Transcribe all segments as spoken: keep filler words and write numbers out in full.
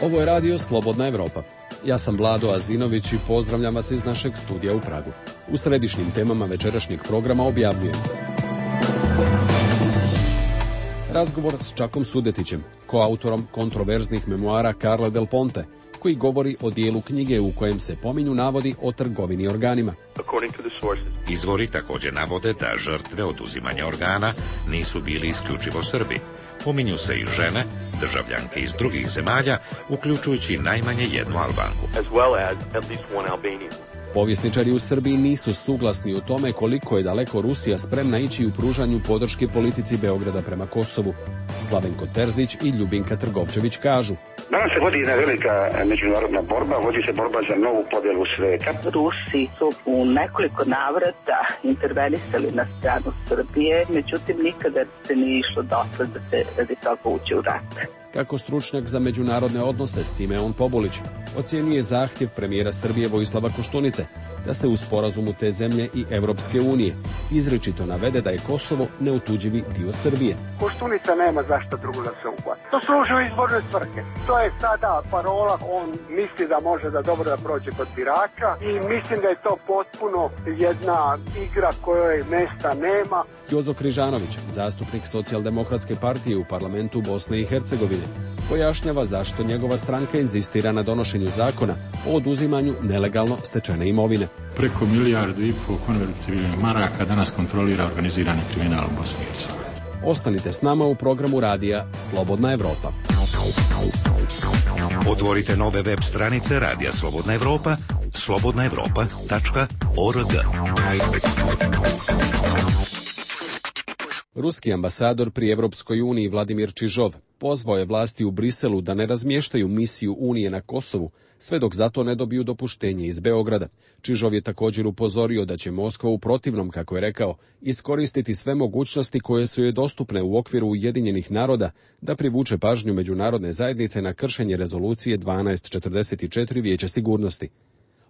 Ovo je radio Slobodna Evropa. Ja sam Vlado Azinović i pozdravljam vas iz našeg studija u Pragu. U središnjim temama večerašnjeg programa objavljujem razgovor s Čakom Sudetićem, koautorom kontroverznih memoara Carla Del Ponte, koji govori o dijelu knjige u kojem se pominju navodi o trgovini organima. Izvori također navode da žrtve oduzimanja organa nisu bili isključivo Srbi. Pominju se i žene, državljanke iz drugih zemalja, uključujući najmanje jednu Albanku. Povjesničari u Srbiji nisu suglasni u tome koliko je daleko Rusija spremna ići u pružanju podrške politici Beograda prema Kosovu. Slavenko Terzić i Ljubinka Trgovčević kažu: danas se vodi jedna velika međunarodna borba, vodi se borba za novu podjelu sveta. Rusi su u nekoliko navrata intervenisali na stranu Srbije, međutim nikada se nije išlo dotle da se radi toga uđe u rat. Kako stručnjak za međunarodne odnose Simeon Pobulić ocjenjuje zahtjev premijera Srbije Vojislava Koštunice da se u sporazumu te zemlje i Evropske unije izričito navede da je Kosovo neotuđivi dio Srbije. Koštunica nema zašto drugo da se uhvati. To služi u izborne svrhe. To je sada parola, on misli da može da dobro da prođe kod birača i mislim da je to potpuno jedna igra kojoj mesta nema. Jozo Križanović, zastupnik Socijaldemokratske partije u parlamentu Bosne i Hercegovine, pojašnjava zašto njegova stranka inzistira na donošenju zakona o oduzimanju nelegalno stečene imovine. Preko milijardu i pol konvertibilnih maraka danas kontrolira organizirani kriminal u Bosni i Hercegovini. Ostanite s nama u programu radija Slobodna Evropa. Otvorite nove web stranice Radija Slobodna Evropa, slobodna evropa tačka org. Ruski ambasador pri Evropskoj uniji Vladimir Čižov pozvao je vlasti u Briselu da ne razmještaju misiju Unije na Kosovu sve dok zato ne dobiju dopuštenje iz Beograda. Čižov je također upozorio da će Moskva u protivnom, kako je rekao, iskoristiti sve mogućnosti koje su joj dostupne u okviru Ujedinjenih naroda da privuče pažnju međunarodne zajednice na kršenje rezolucije dvanaest četrdeset četiri Vijeća sigurnosti.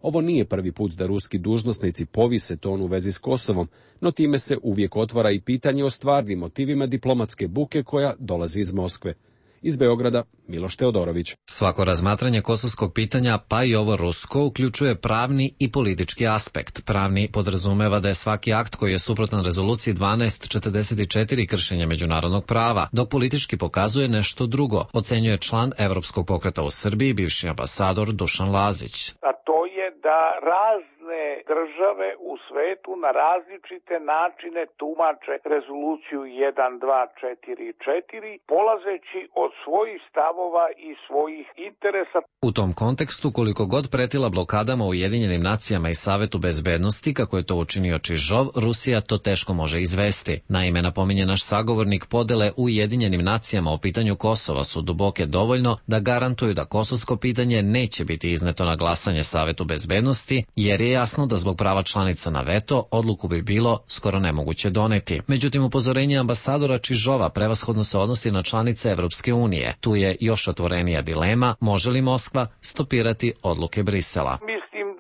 Ovo nije prvi put da ruski dužnosnici povise ton u vezi s Kosovom, no time se uvijek otvara i pitanje o stvarnim motivima diplomatske buke koja dolazi iz Moskve. Iz Beograda, Miloš Teodorović. Svako razmatranje kosovskog pitanja, pa i ovo rusko, uključuje pravni i politički aspekt. Pravni podrazumeva da je svaki akt koji je suprotan rezoluciji dvanaest četrdeset četiri kršenje međunarodnog prava, dok politički pokazuje nešto drugo, ocenjuje član Evropskog pokreta u Srbiji, bivši ambasador Dušan Lazić. A to je da razne države u svetu na različite načine tumače rezoluciju jedan dva četiri četiri, polazeći od svojih stavova i svojih interesa. U tom kontekstu, koliko god pretila blokadama u Ujedinjenim nacijama i Savetu bezbednosti, kako je to učinio Čižov, Rusija to teško može izvesti. Naime, napominje naš sagovornik, podele u Ujedinjenim nacijama o pitanju Kosova su duboke dovoljno da garantuju da kosovsko pitanje neće biti izneto na glasanje Savetu bezbednosti, jer je jasno da zbog prava članica na veto odluku bi bilo skoro nemoguće doneti. Međutim, upozorenje ambasadora Čižova prevashodno se odnosi na članice Evropske unije. Tu je još otvorenija dilema, može li Moskva stopirati odluke Brisela.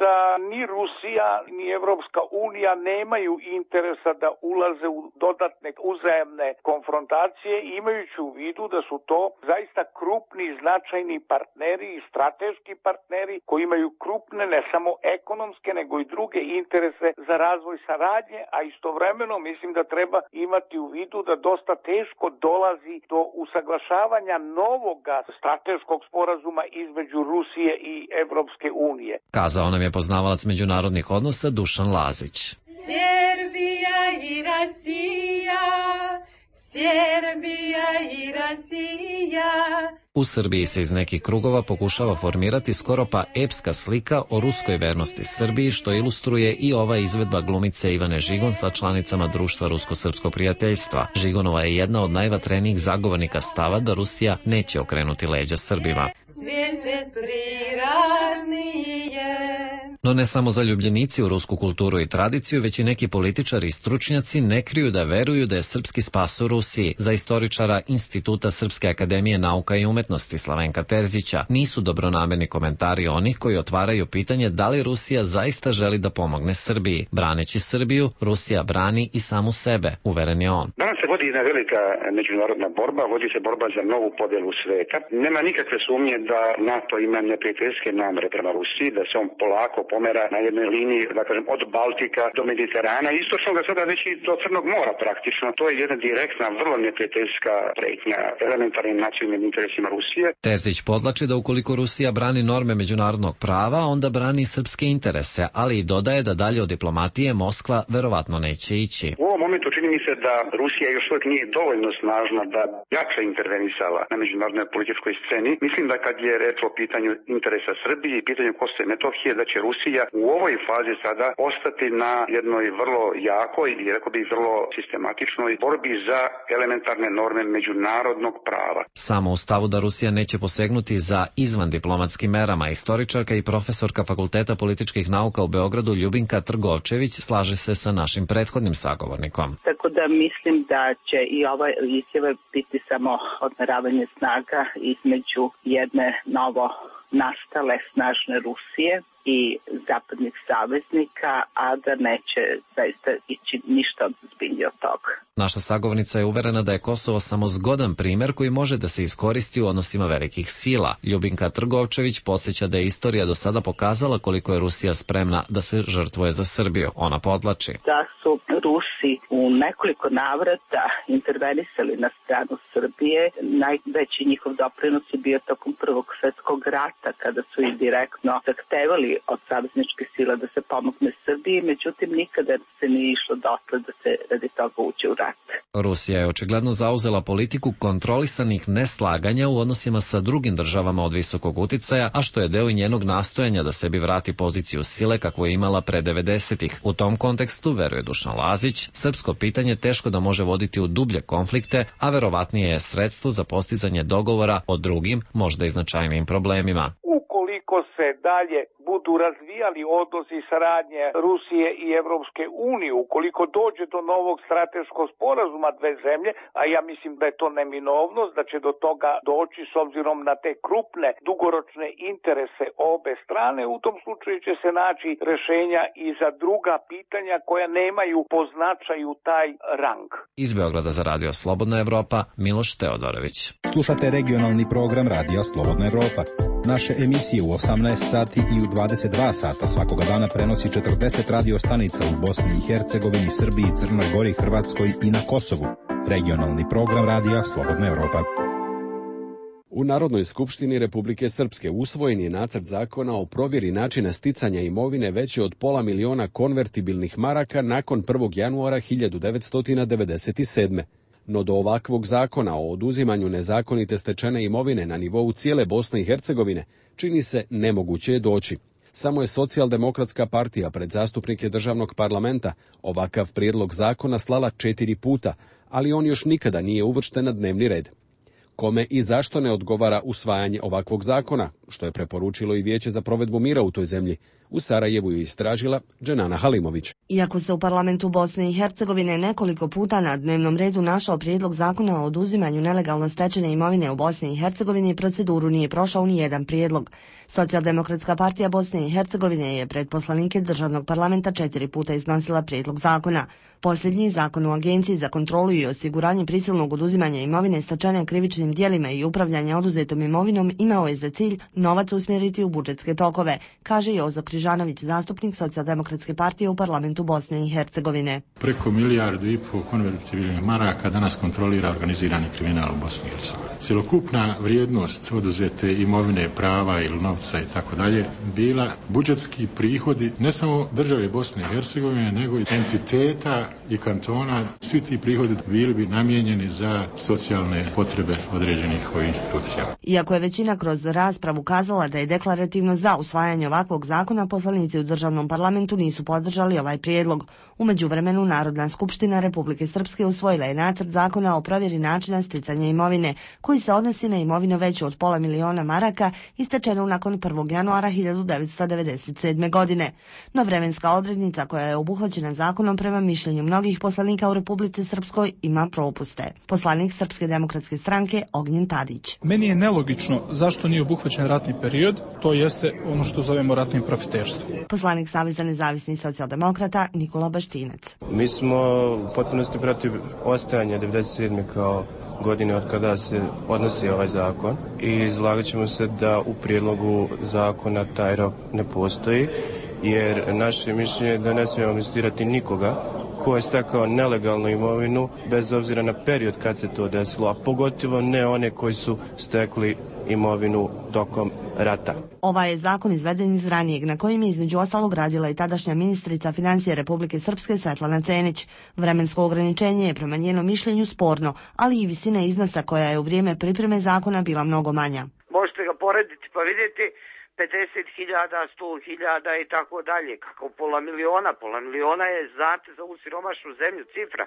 Da ni Rusija ni Evropska unija nemaju interesa da ulaze u dodatne uzajamne konfrontacije, imajući u vidu da su to zaista krupni, značajni partneri i strateški partneri koji imaju krupne ne samo ekonomske nego i druge interese za razvoj saradnje, a istovremeno mislim da treba imati u vidu da dosta teško dolazi do usaglašavanja novoga strateškog sporazuma između Rusije i Evropske unije. Kazao nam je poznavalac međunarodnih odnosa Dušan Lazić. Serbija i Rasija, Serbija i Rasija. U Srbiji se iz nekih krugova pokušava formirati skoro pa epska slika o ruskoj vernosti Srbiji, što ilustruje i ova izvedba glumice Ivane Žigon sa članicama društva Rusko-srpskog prijateljstva. Žigonova je jedna od najvatrenijih zagovornika stava da Rusija neće okrenuti leđa Srbima. Dvije sestri radnije, No ne samo zaljubljenici u rusku kulturu i tradiciju, već i neki političari i stručnjaci ne kriju da veruju da je srpski spas u Rusiji. Za istoričara Instituta Srpske akademije nauka i umetnosti Slavenka Terzića nisu dobronamerni komentari onih koji otvaraju pitanje da li Rusija zaista želi da pomogne Srbiji. Braneći Srbiju, Rusija brani i samu sebe, uveren je on. Danas se vodi jedna velika međunarodna borba, vodi se borba za novu podelu sveta. Nema nikakve sumnje da NATO ima neprijateljske namere prema Rusiji, da se on polako pomera na jednoj liniji, da kažem, od Baltika do Mediterana, istočno ga sada već i do Crnog mora praktično. To je jedna direktna, vrlo neprijateljska pretnja elementarnim nacionalnim interesima Rusije. Terzić podlači da ukoliko Rusija brani norme međunarodnog prava, onda brani srpske interese, ali i dodaje da dalje od diplomatije Moskva verovatno neće ići. U ovom momentu čini mi se da Rusija još uvijek nije dovoljno snažna da jače intervenisala na međunarodnoj političkoj sceni. Mislim da kad je reč o pitanju interesa Srbije i pitanju Kosova i Metohije, da će Rusija u ovoj fazi sada ostati na jednoj vrlo jakoj i rekao bih vrlo sistematičnoj borbi za elementarne norme međunarodnog prava. Samo u stavu da Rusija neće posegnuti za izvan diplomatskim merama, istoričarka i profesorka Fakulteta političkih nauka u Beogradu Ljubinka Trgovčević slaže se sa našim prethodnim sagovornikom. Tako da mislim da će i ova izjava biti samo odmeravanje snaga između jedne novo nastale snažne Rusije i zapadnih saveznika, a da neće zaista ići ništa ozbiljnije od toga. Naša sagovornica je uverena da je Kosovo samo zgodan primer koji može da se iskoristi u odnosima velikih sila. Ljubinka Trgovčević podsjeća da je istorija do sada pokazala koliko je Rusija spremna da se žrtvuje za Srbiju. Ona podlači da su Rusi u nekoliko navrata intervenisali na stranu Srbije. Najveći njihov doprinos je bio tokom Prvog svjetskog rata, kada su i direktno zahtevali od savezničke sile da se pomogne Srbiji, međutim nikada se nije išlo dotle da se radi toga uđe u rat. Rusija je očigledno zauzela politiku kontrolisanih neslaganja u odnosima sa drugim državama od visokog uticaja, a što je deo i njenog nastojanja da sebi vrati poziciju sile kakvu je imala pre devedesetih. U tom kontekstu, veruje Dušan Lazić, srpsko pitanje teško da može voditi u dublje konflikte, a verovatnije je sredstvo za postizanje dogovora o drugim, možda i značajnijim problemima. Ukoliko se dalje budu razvijali odnosi saradnje Rusije i Evropske unije, ukoliko dođe do novog strateškog sporazuma dve zemlje, a ja mislim da je to neminovnost, da će do toga doći s obzirom na te krupne dugoročne interese obe strane, u tom slučaju će se naći rešenja i za druga pitanja koja nemaju po značaju taj rang. Iz Beograda za Radio Slobodna Evropa, Miloš Teodorović. Slušate regionalni program Radio Slobodna Evropa. Naše emisije u osamnaest sati i u dvadeset dva sata svakoga dana prenosi četrdeset radio stanica u Bosni i Hercegovini, Srbiji, Crnoj Gori, Hrvatskoj i na Kosovu. Regionalni program Radija Slobodna Evropa. U Narodnoj skupštini Republike Srpske usvojen je nacrt zakona o provjeri načina sticanja imovine veće od pola miliona konvertibilnih maraka nakon prvog januara hiljadu devetsto devedeset sedme. No do ovakvog zakona o oduzimanju nezakonite stečene imovine na nivou cijele Bosne i Hercegovine čini se nemoguće je doći. Samo je Socijaldemokratska partija pred zastupnike državnog parlamenta ovakav prijedlog zakona slala četiri puta, ali on još nikada nije uvršten na dnevni red. Kome i zašto ne odgovara usvajanje ovakvog zakona, što je preporučilo i Vijeće za provedbu mira u toj zemlji? U Sarajevu je istražila Dženana Halimović. Iako se u parlamentu Bosne i Hercegovine nekoliko puta na dnevnom redu našao prijedlog zakona o oduzimanju nelegalno stečene imovine u Bosni i Hercegovini, proceduru nije prošao ni jedan prijedlog. Socijaldemokratska partija Bosne i Hercegovine je pred poslanike državnog parlamenta četiri puta iznosila prijedlog zakona. Posljednji zakon o Agenciji za kontrolu i osiguranje prisilnog oduzimanja imovine stečene krivičnim djelima i upravljanja oduzetom imovinom imao je za cilj novac usmjeriti u budžetske tokove, kaže Jozo Križanović, zastupnik Socijaldemokratske partije u parlamentu Bosne i Hercegovine. Preko milijardu i pol konvertibilnih maraka danas kontrolira organizirani kriminal u Bosni i Hercegovini. Cjelokupna vrijednost oduzete imovine, prava ili novca i tako dalje bila budžetski prihodi ne samo države Bosne i Hercegovine, nego i entiteta i kantona. Svi ti prihodi bili bi namijenjeni za socijalne potrebe određenih institucija. Iako je većina kroz raspravu ukazala da je deklarativno za usvajanje ovakvog zakona, poslanici u državnom parlamentu nisu podržali ovaj prijedlog. U međuvremenu Narodna skupština Republike Srpske usvojila je nacrt zakona o provjeri načina sticanja imovine, koji se odnosi na imovinu veću od pola miliona maraka i stečenu nakon prvog januara hiljadu devetsto devedeset sedme. godine. No vremenska odrednica koja je obuhvaćena zakonom prema mišljenju mnogih poslanika u Republici Srpskoj ima propuste. Poslanik Srpske demokratske stranke Ognjen Tadić. Meni je nelogično zašto nije obuhvaćen ratni period, to jeste ono što zovemo ratnim profiterstvom. Poslanik Saveza nezavisnih socijaldemokrata Nikola Baštinac. Mi smo u potpunosti protiv ostajanja devedeset sedme. kao godine od kada se odnosi ovaj zakon i izlagat ćemo se da u prijedlogu zakona taj rok ne postoji, jer naše mišljenje je da ne smijemo amnestirati nikoga ko je stekao nelegalnu imovinu bez obzira na period kad se to desilo, a pogotovo ne one koji su stekli imovinu tokom rata. Ovaj je zakon izveden iz ranijeg, na kojim je između ostalog radila i tadašnja ministrica financije Republike Srpske Svetlana Cenić. Vremensko ograničenje je prema njenom mišljenju sporno, ali i visina iznosa koja je u vrijeme pripreme zakona bila mnogo manja. Možete ga porediti pa vidjeti pedeset hiljada, sto hiljada i tako dalje. Kako pola miliona? Pola miliona je, znate, za ovu siromašnu zemlju cifra.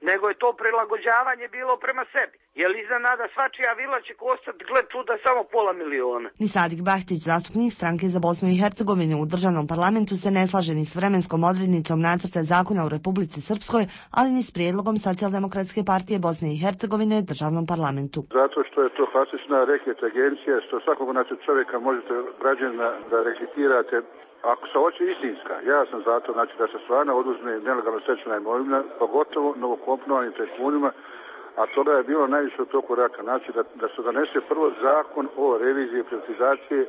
Nego je to prilagođavanje bilo prema sebi. Jer iznenada svačija vila će kostati, gle čuda, samo pola miliona. Ni Sadik Bahtić, zastupnik stranke za Bosnu i Hercegovinu u državnom parlamentu, se ne slaže ni s vremenskom odrednicom nacrta zakona u Republici Srpskoj, ali ni s prijedlogom Socijaldemokratske partije Bosne i Hercegovine u državnom parlamentu. Zato što je to klasična reket agencija, što svakog znači čovjeka možete građana da reketirate. Ako se hoće istinska, ja sam zato znači, da se stvarno oduzme nelegalno stečena imovina, pogotovo novokomponovanim tajkunima, a toga je bilo najviše u toku raka. Znači da, da se donese prvo zakon o reviziji privatizacije,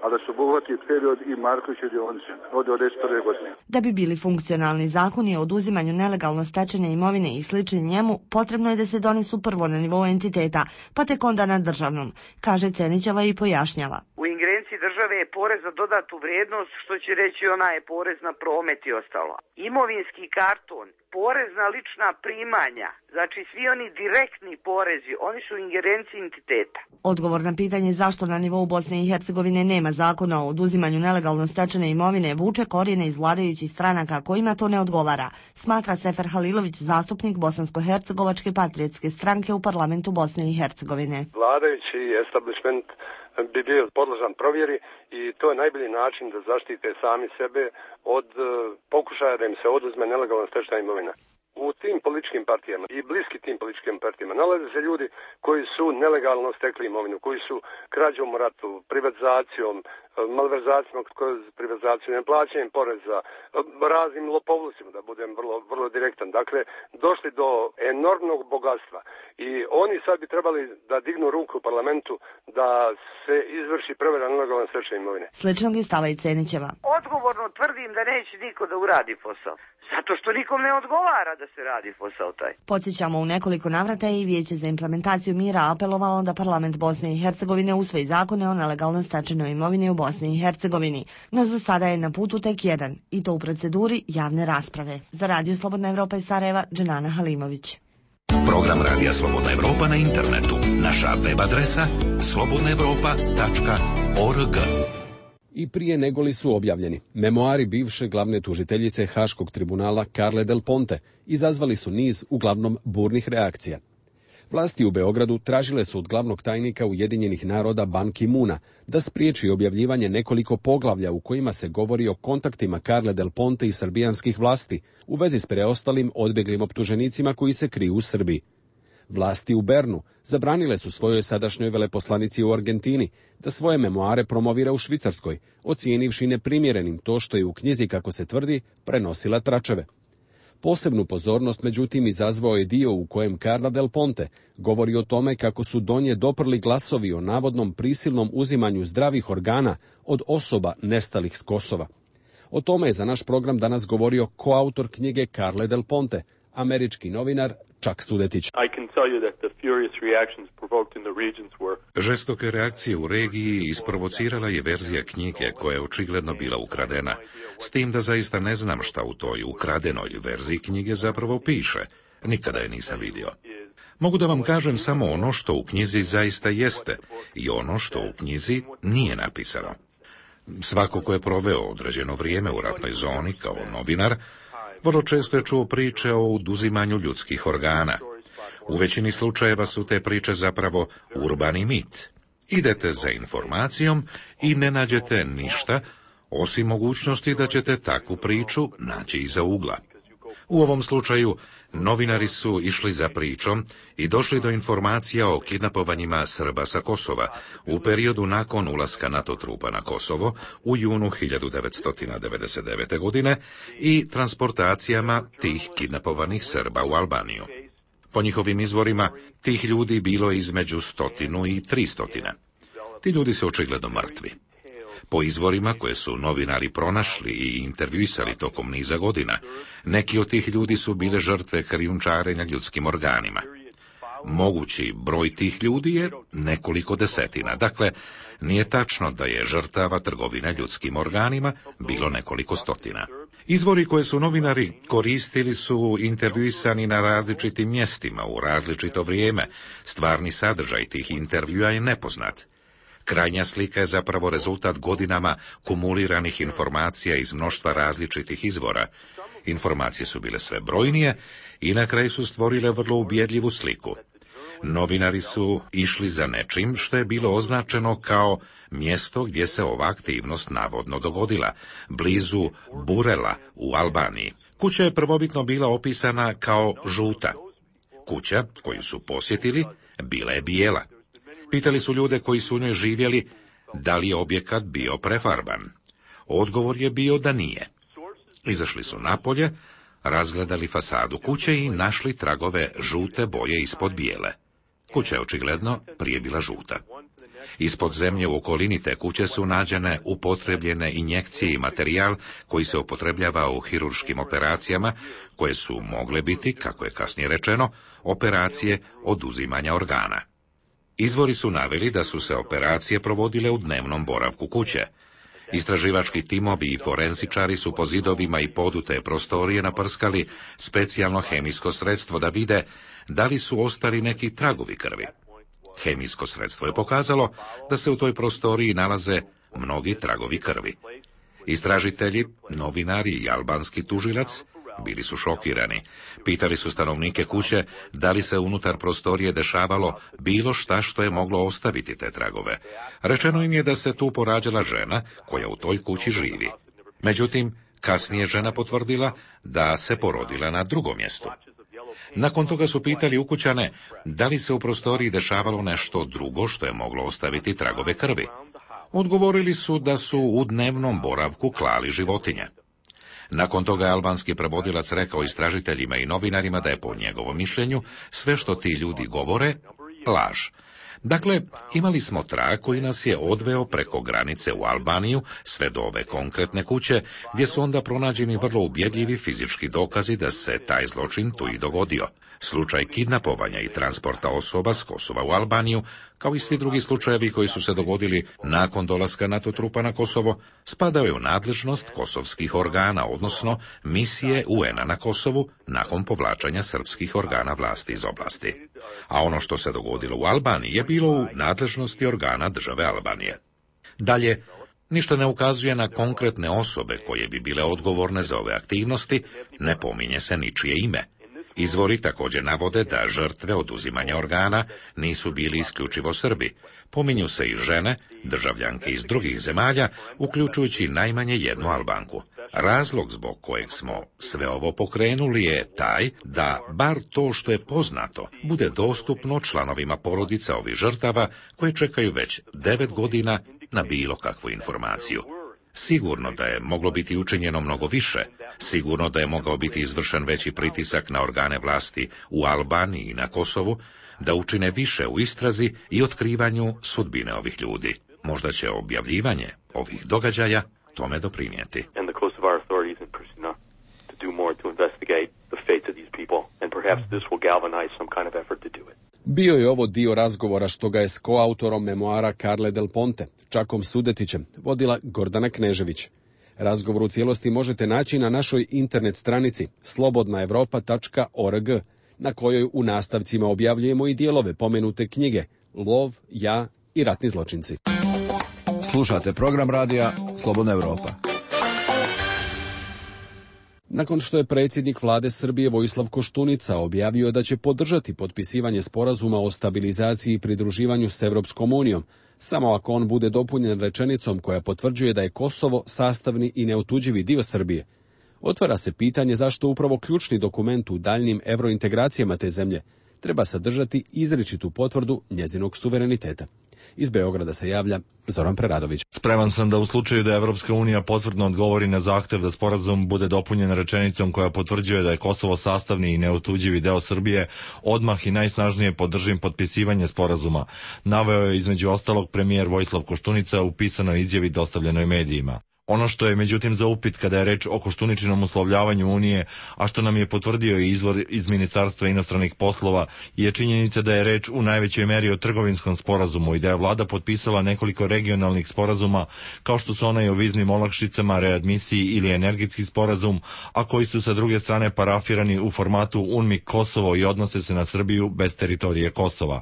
a da se obuhvati period i Markovićeve dionice od devedeset prve. godine. Da bi bili funkcionalni zakoni o oduzimanju nelegalno stečene imovine i slični njemu, potrebno je da se donesu prvo na nivou entiteta, pa tek onda na državnom, kaže Cenićeva i pojašnjava. U ingerenciji države je porez za dodatu vrijednost, što će reći ona je porez na promet i ostalo. Imovinski karton, porez na lična primanja, znači svi oni direktni porezi, oni su u ingerenciji entiteta. Odgovor na pitanje zašto na nivou Bosne i Hercegovine nema zakona o oduzimanju nelegalno stečene imovine vuče korijene iz vladajućih stranaka kojima to ne odgovara, smatra Sefer Halilović, zastupnik Bosansko-hercegovačke patriotske stranke u parlamentu Bosne i Hercegovine. Vladajući establishment bi bio podložan provjeri i to je najbolji način da zaštite sami sebe od pokušaja da im se oduzme nelegalno stečena imovina. U tim političkim partijama i bliski tim političkim partijama nalaze se ljudi koji su nelegalno stekli imovinu, koji su krađom u ratu, privatizacijom, malverzacijom kroz privatizaciju, neplaćanjem poreza, raznim lopovlusima, da budem vrlo, vrlo direktan. Dakle, došli do enormnog bogatstva i oni sad bi trebali da dignu ruku u parlamentu da se izvrši provjera nelegalno stečene imovine. Sličnog je stava i Cenićeva. Odgovorno tvrdim da neće niko da uradi posao. Zato što nikom ne odgovara da se radi posao taj. Podsjećamo, u nekoliko navrata je i Vijeće za implementaciju mira apelovalo da parlament Bosne i Hercegovine usvoji zakone o nelegalno stečenoj imovini u Bosni i Hercegovini. No za sada je na putu tek jedan, i to u proceduri javne rasprave. Za Radio Slobodna Evropa iz Sarajeva, Dženana Halimović. Program Radija Slobodna Evropa na internetu. Naša web adresa slobodna evropa tačka org. I prije negoli su objavljeni memoari bivše glavne tužiteljice Haškog tribunala Carle Del Ponte izazvali su niz uglavnom burnih reakcija. Vlasti u Beogradu tražile su od glavnog tajnika Ujedinjenih naroda Ban Ki-moona da spriječi objavljivanje nekoliko poglavlja u kojima se govori o kontaktima Carle Del Ponte i srbijanskih vlasti u vezi s preostalim odbjeglim optuženicima koji se kriju u Srbiji. Vlasti u Bernu zabranile su svojoj sadašnjoj veleposlanici u Argentini da svoje memoare promovira u Švicarskoj, ocijenivši neprimjerenim to što je u knjizi, kako se tvrdi, prenosila tračeve. Posebnu pozornost, međutim, izazvao je dio u kojem Carla Del Ponte govori o tome kako su do nje doprli glasovi o navodnom prisilnom uzimanju zdravih organa od osoba nestalih s Kosova. O tome je za naš program danas govorio koautor knjige Carle Del Ponte, američki novinar Čak Sudetić. Žestoke reakcije u regiji isprovocirala je verzija knjige koja je očigledno bila ukradena, s tim da zaista ne znam šta u toj ukradenoj verziji knjige zapravo piše. Nikada je nisam vidio. Mogu da vam kažem samo ono što u knjizi zaista jeste i ono što u knjizi nije napisano. Svako ko je proveo određeno vrijeme u ratnoj zoni kao novinar, vrlo često je čuo priče o oduzimanju ljudskih organa. U većini slučajeva su te priče zapravo urbani mit. Idete za informacijom i ne nađete ništa, osim mogućnosti da ćete takvu priču naći iza ugla. U ovom slučaju, novinari su išli za pričom i došli do informacija o kidnapovanjima Srba sa Kosova u periodu nakon ulaska NATO trupa na Kosovo u junu hiljadu devetsto devedeset devete. godine i transportacijama tih kidnapovanih Srba u Albaniju. Po njihovim izvorima, tih ljudi bilo je između stotinu i tri stotine. Ti ljudi su očigledno mrtvi. Po izvorima koje su novinari pronašli i intervjuisali tokom niza godina, neki od tih ljudi su bile žrtve krijumčarenja ljudskim organima. Mogući broj tih ljudi je nekoliko desetina, dakle, nije tačno da je žrtava trgovine ljudskim organima bilo nekoliko stotina. Izvori koje su novinari koristili su intervjuisani na različitim mjestima u različito vrijeme. Stvarni sadržaj tih intervjua je nepoznat. Krajnja slika je zapravo rezultat godinama kumuliranih informacija iz mnoštva različitih izvora. Informacije su bile sve brojnije i na kraju su stvorile vrlo ubjedljivu sliku. Novinari su išli za nečim što je bilo označeno kao mjesto gdje se ova aktivnost navodno dogodila, blizu Burela u Albaniji. Kuća je prvobitno bila opisana kao žuta. Kuća koju su posjetili bila je bijela. Pitali su ljude koji su u njoj živjeli da li je objekat bio prefarban. Odgovor je bio da nije. Izašli su napolje, razgledali fasadu kuće i našli tragove žute boje ispod bijele. Kuća je očigledno prije bila žuta. Ispod zemlje u okolini te kuće su nađene upotrebljene injekcije i materijal koji se upotrebljava u hirurškim operacijama, koje su mogle biti, kako je kasnije rečeno, operacije oduzimanja organa. Izvori su naveli da su se operacije provodile u dnevnom boravku kuće. Istraživački timovi i forenzičari su po zidovima i podu te prostorije naprskali specijalno hemijsko sredstvo da vide da li su ostali neki tragovi krvi. Hemijsko sredstvo je pokazalo da se u toj prostoriji nalaze mnogi tragovi krvi. Istražitelji, novinari i albanski tužilac bili su šokirani. Pitali su stanovnike kuće da li se unutar prostorije dešavalo bilo šta što je moglo ostaviti te tragove. Rečeno im je da se tu porađala žena koja u toj kući živi. Međutim, kasnije žena potvrdila da se porodila na drugom mjestu. Nakon toga su pitali ukućane da li se u prostoriji dešavalo nešto drugo što je moglo ostaviti tragove krvi. Odgovorili su da su u dnevnom boravku klali životinje. Nakon toga je albanski prevodilac rekao istražiteljima i novinarima da je po njegovom mišljenju sve što ti ljudi govore laž. Dakle, imali smo trag koji nas je odveo preko granice u Albaniju sve do ove konkretne kuće, gdje su onda pronađeni vrlo ubjedljivi fizički dokazi da se taj zločin tu i dogodio. Slučaj kidnapovanja i transporta osoba s Kosova u Albaniju, kao i svi drugi slučajevi koji su se dogodili nakon dolaska NATO trupa na Kosovo, spadaju je u nadležnost kosovskih organa, odnosno misije U N-a na Kosovu nakon povlačenja srpskih organa vlasti iz oblasti. A ono što se dogodilo u Albaniji je bilo u nadležnosti organa države Albanije. Dalje, ništa ne ukazuje na konkretne osobe koje bi bile odgovorne za ove aktivnosti, ne pominje se ničije ime. Izvori također navode da žrtve oduzimanja organa nisu bili isključivo Srbi. Pominju se i žene, državljanke iz drugih zemalja, uključujući najmanje jednu Albanku. Razlog zbog kojeg smo sve ovo pokrenuli je taj da bar to što je poznato bude dostupno članovima porodica ovih žrtava koje čekaju već devet godina na bilo kakvu informaciju. Sigurno da je moglo biti učinjeno mnogo više, sigurno da je mogao biti izvršen veći pritisak na organe vlasti u Albaniji i na Kosovu, da učine više u istrazi i otkrivanju sudbine ovih ljudi. Možda će objavljivanje ovih događaja tome doprinijeti. Bio je ovo dio razgovora što ga je s koautorom memoara Carle Del Ponte, Čakom Sudetićem, vodila Gordana Knežević. Razgovor u cijelosti možete naći na našoj internet stranici slobodna evropa tačka org na kojoj u nastavcima objavljujemo i dijelove pomenute knjige Lov, ja i ratni zločinci. Slušate program radija Slobodna Evropa. Nakon što je predsjednik vlade Srbije Vojislav Koštunica objavio da će podržati potpisivanje sporazuma o stabilizaciji i pridruživanju s Evropskom unijom, samo ako on bude dopunjen rečenicom koja potvrđuje da je Kosovo sastavni i neotuđivi dio Srbije, otvara se pitanje zašto upravo ključni dokument u daljnim evrointegracijama te zemlje treba sadržati izričitu potvrdu njezinog suvereniteta. Iz Beograda se javlja Zoran Preradović. Spreman sam da u slučaju da Evropska unija potvrdno odgovori na zahtev da sporazum bude dopunjen rečenicom koja potvrđuje da je Kosovo sastavni i neotuđivi deo Srbije, odmah i najsnažnije podržim potpisivanje sporazuma, naveo je između ostalog premijer Vojislav Koštunica u pisanoj izjavi dostavljenoj medijima. Ono što je međutim za upit kada je reč o Koštuničinom uslovljavanju Unije, a što nam je potvrdio i izvor iz Ministarstva inostranih poslova, je činjenica da je reč u najvećoj meri o trgovinskom sporazumu i da je vlada potpisala nekoliko regionalnih sporazuma, kao što su onaj o viznim olakšicama, readmisiji ili energetski sporazum, a koji su sa druge strane parafirani u formatu UNMIK Kosovo i odnose se na Srbiju bez teritorije Kosova.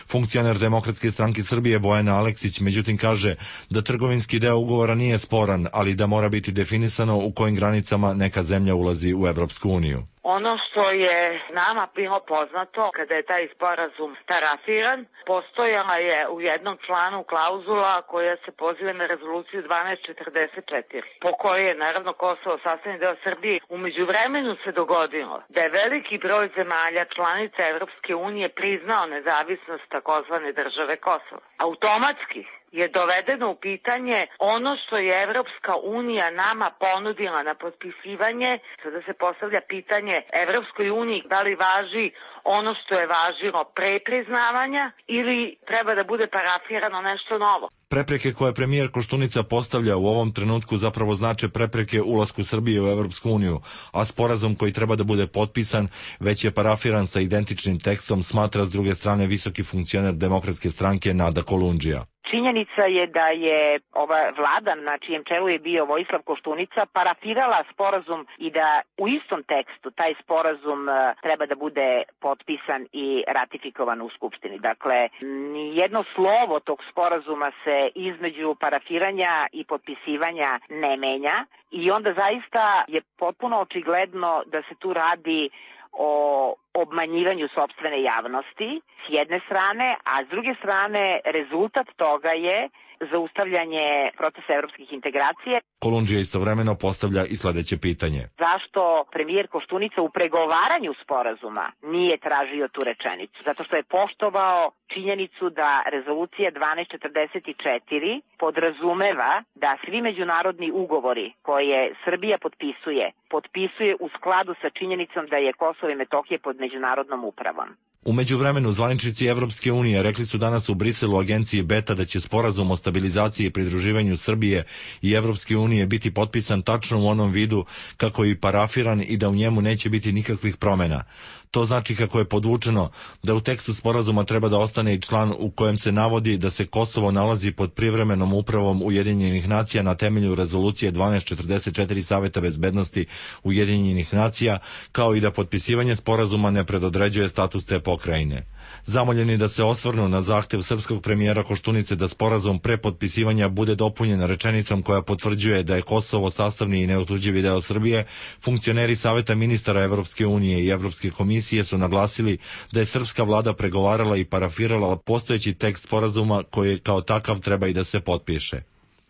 Funkcioner Demokratske stranke Srbije Bojana Aleksić međutim kaže da trgovinski deo ugovora nije sporan, ali da mora biti definisano u kojim granicama neka zemlja ulazi u Evropsku uniju. Ono što je nama bilo poznato kada je taj sporazum parafiran, postojala je u jednom članu klauzula koja se poziva na rezoluciju dvanaest četrdeset četiri, po kojoj je naravno Kosovo sastavni deo Srbije. U međuvremenu se dogodilo da je veliki broj zemalja članica Evropske unije priznao nezavisnost takozvane države Kosovo. Automatski je dovedeno u pitanje ono što je Evropska unija nama ponudila na potpisivanje. Sada se postavlja pitanje Evropskoj uniji da li važi ono što je važilo pre priznavanja ili treba da bude parafirano nešto novo. Prepreke koje premijer Koštunica postavlja u ovom trenutku zapravo znače prepreke ulasku Srbije u Evropsku uniju, a sporazum koji treba da bude potpisan već je parafiran sa identičnim tekstom, smatra s druge strane visoki funkcioner Demokratske stranke Nada Kolundžija. Činjenica je da je ova vlada na čijem čelu je bio Vojislav Koštunica parafirala sporazum i da u istom tekstu taj sporazum treba da bude potpisan i ratifikovan u Skupštini. Dakle, nijedno slovo tog sporazuma se između parafiranja i potpisivanja ne menja i onda zaista je potpuno očigledno da se tu radi o obmanjivanju sopstvene javnosti s jedne strane, a s druge strane rezultat toga je zaustavljanje procesa evropskih integracija. Kolundžija istovremeno postavlja i sledeće pitanje. Zašto premijer Koštunica u pregovaranju sporazuma nije tražio tu rečenicu? Zato što je poštovao činjenicu da rezolucija dvanaest četrdeset četiri podrazumeva da svi međunarodni ugovori koje Srbija potpisuje, potpisuje u skladu sa činjenicom da je Kosovo i Metohija pod međunarodnom upravom. U međuvremenu zvaničnici Evropske unije rekli su danas u Briselu agenciji Beta da će sporazum o stabilizaciji i pridruživanju Srbije i Evropske unije biti potpisan tačno u onom vidu kako je parafiran i da u njemu neće biti nikakvih promjena. To znači kako je podvučeno da u tekstu sporazuma treba da ostane i član u kojem se navodi da se Kosovo nalazi pod privremenom upravom Ujedinjenih nacija na temelju rezolucije dvanaest četrdeset četiri Saveta bezbednosti Ujedinjenih nacija, kao i da potpisivanje sporazuma ne predodređuje status te pokrajine. Zamoljeni da se osvrnu na zahtev srpskog premijera Koštunice da sporazum pre potpisivanja bude dopunjen rečenicom koja potvrđuje da je Kosovo sastavni i neotuđivi deo Srbije, funkcioneri Saveta ministara Evropske unije i Evropske komisije su naglasili da je srpska vlada pregovarala i parafirala postojeći tekst sporazuma koji kao takav treba i da se potpiše.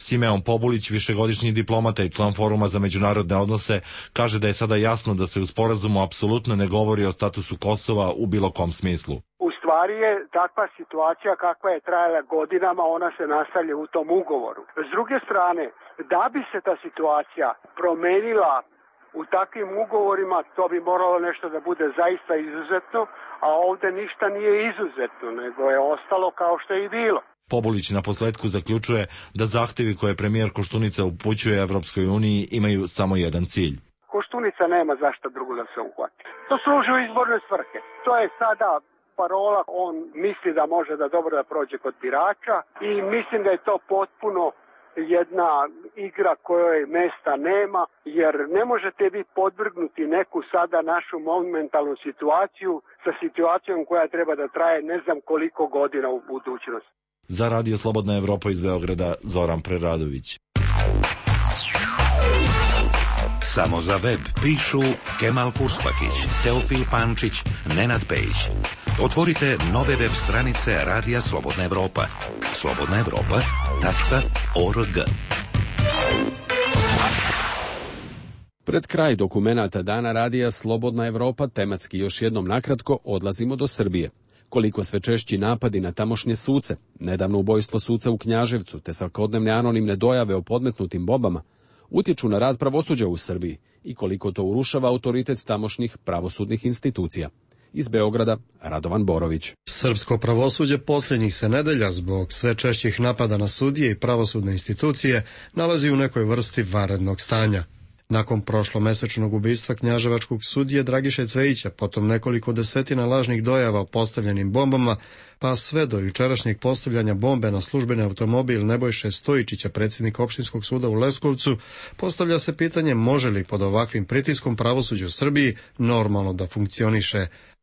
Simeon Pobulić, višegodišnji diplomata i član Foruma za međunarodne odnose, kaže da je sada jasno da se u sporazumu apsolutno ne govori o statusu Kosova u bilo kom smislu. U stvari je takva situacija kakva je trajala godinama, ona se nastavlja u tom ugovoru. S druge strane, da bi se ta situacija promenila u takvim ugovorima, to bi moralo nešto da bude zaista izuzetno, a ovde ništa nije izuzetno, nego je ostalo kao što je i bilo. Pobulić na posledku zaključuje da zahtevi koje premijer Koštunica upućuje Evropskoj uniji imaju samo jedan cilj. Koštunica nema zašto drugo da se uhvati. To služi u izborne svrhe. To je sada parola, on misli da može da dobro da prođe kod birača i mislim da je to potpuno jedna igra kojoj mesta nema, jer ne možete vi podvrgnuti neku sada našu momentalnu situaciju sa situacijom koja treba da traje ne znam koliko godina u budućnosti. Za Radio Slobodna Evropa iz Beograda, Zoran Preradović. Samo za web pišu Kemal Kuspakić, Teofil Pančić, Nenad Pejić. Otvorite nove web stranice Radija Slobodna Evropa. slobodna evropa tačka org. Pred kraj dokumenata Dana Radija Slobodna Evropa tematski još jednom nakratko odlazimo do Srbije. Koliko sve češći napadi na tamošnje suce, nedavno ubojstvo suca u Knjaževcu te svakodnevne anonimne dojave o podmetnutim bombama utječu na rad pravosuđa u Srbiji i koliko to urušava autoritet tamošnjih pravosudnih institucija. Iz Beograda, Radovan Borović. Srpsko pravosuđe posljednjih se nedelja zbog sve češćih napada na sudije i pravosudne institucije nalazi u nekoj vrsti vanrednog stanja. Nakon prošlomesečnog ubistva knjaževačkog sudije Dragiše Cvejića, potom nekoliko desetina lažnih dojava o postavljenim bombama, pa sve do jučerašnjeg postavljanja bombe na službeni automobil Nebojše Stojičića, predsjednika opštinskog suda u Leskovcu, postavlja se pitanje može li pod ovakvim pritiskom pravosuđe u Srbiji normalno da funkcioniše.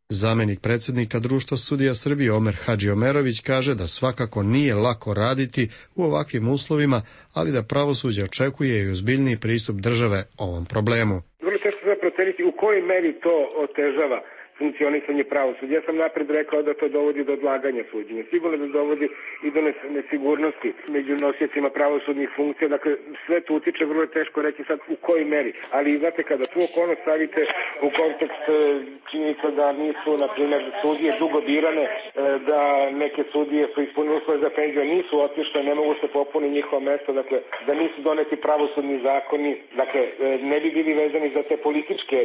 Zamjenik predsjednika Društva sudija Srbije Omer Hadžiomerović kaže da svakako nije lako raditi u ovakvim uslovima, ali da pravosuđe očekuje i ozbiljniji pristup države ovom problemu. Vrlo teško se proceniti u kojoj meri to otežava funkcionisanje pravosuđa. Ja sam napred rekao da to dovodi do odlaganja suđenja. Sigurno da dovodi i do nesigurnosti među nosiocima pravosudnih funkcija. Dakle, sve to utiče, vrlo je teško reći sad u kojoj meri. Ali, znate, kada tu okolnost stavite u kontekst činjenica da nisu, na primjer, sudije dugo birane, da neke sudije su ispunili uslove za penziju, nisu otišle, ne mogu se popuniti njihova mesta, dakle, da nisu doneti pravosudni zakoni, dakle, ne bi bili vezani za te političke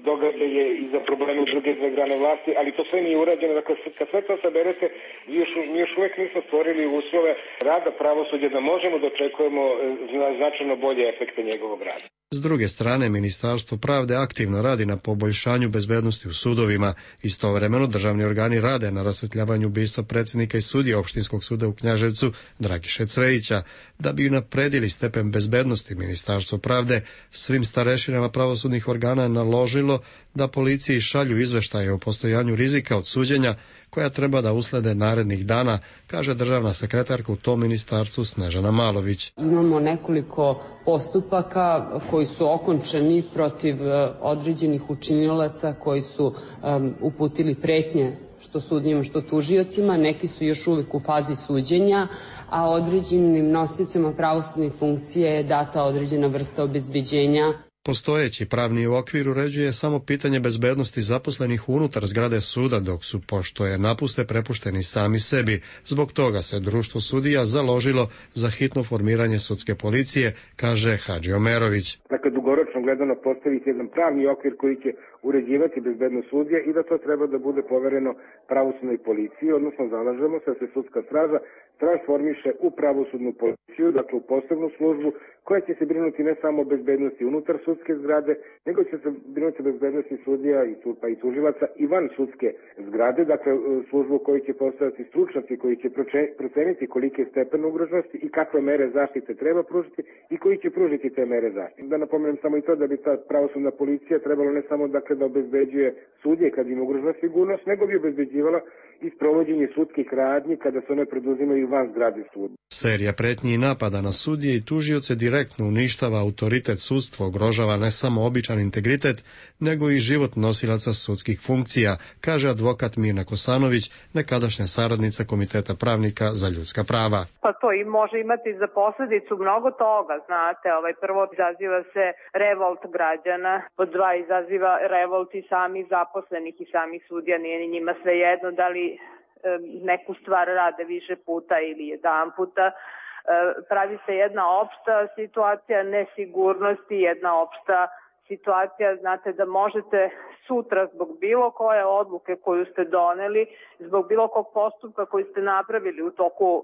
događaje i za probleme u druge dve grane vlasti, ali to sve nije urađeno. Dakle, kad sve to saberete, mi još, mi još uvijek nismo stvorili uslove rada pravosuđa da možemo da očekujemo značajno bolje efekte njegovog rada. S druge strane, Ministarstvo pravde aktivno radi na poboljšanju bezbednosti u sudovima. Istovremeno, državni organi rade na rasvetljavanju ubistva predsjednika i sudije opštinskog suda u Knjaževcu Dragiše Cvejića. Da bi napredili stepen bezbednosti, Ministarstvo pravde svim starešinama pravosudnih organa naložilo da policiji šalju izveštaje o postojanju rizika od suđenja koja treba da uslede narednih dana, kaže državna sekretarka u tom ministarstvu Snežana Malović. Imamo nekoliko postupaka koji su okončani protiv određenih učinilaca koji su um, uputili pretnje što sudnjima, što tužiocima. Neki su još uvijek u fazi suđenja, a određenim nosiocima pravosudnih funkcija je data određena vrsta obezbeđenja. Postojeći pravni okvir uređuje samo pitanje bezbednosti zaposlenih unutar zgrade suda, dok su, pošto je napuste, prepušteni sami sebi. Zbog toga se Društvo sudija založilo za hitno formiranje sudske policije, kaže Hadžiomerović. Dakle, dugoročno gledano postaviti jedan pravni okvir koji će uređivati bezbednost sudija i da to treba da bude povereno pravosudnoj policiji, odnosno zalažemo se da se sudska straža transformiše u pravosudnu policiju, dakle u posebnu službu koja će se brinuti ne samo o bezbednosti unutar sudske zgrade, nego će se brinuti o bezbednosti sudija i, pa i tužilaca i van sudske zgrade, dakle službu koju će postaviti stručnjaci koji će proceniti kolike je stepen ugroženosti i kakve mere zaštite treba pružiti i koji će pružiti te mere zaštite. Da napomenem samo i to da bi ta pravosudna policija trebalo ne samo dakle da obezbeđuje sudije kad im ugrožena sigurnost, nego bi obezbeđivala i sprovođenje sudskih radnji kada se one preduzimaju van zgrade suda. Serija pretnji i napada na sudije i tužioce direktno uništava autoritet sudstva, ugrožava ne samo običan integritet, nego i život nosilaca sudskih funkcija, kaže advokat Mirna Kosanović, nekadašnja saradnica Komiteta pravnika za ljudska prava. Pa to i može imati za posljedicu mnogo toga, znate, ovaj prvo izaziva se revolt građana, pod dva izaziva revolt i sami zaposlenih i sami sudija, nije ni njima svejedno da li neku stvar rade više puta ili jedan puta. Pravi se jedna opšta situacija nesigurnosti, jedna opšta situacija, znate, da možete sutra zbog bilo koje odluke koju ste doneli, zbog bilo kog postupka koji ste napravili u toku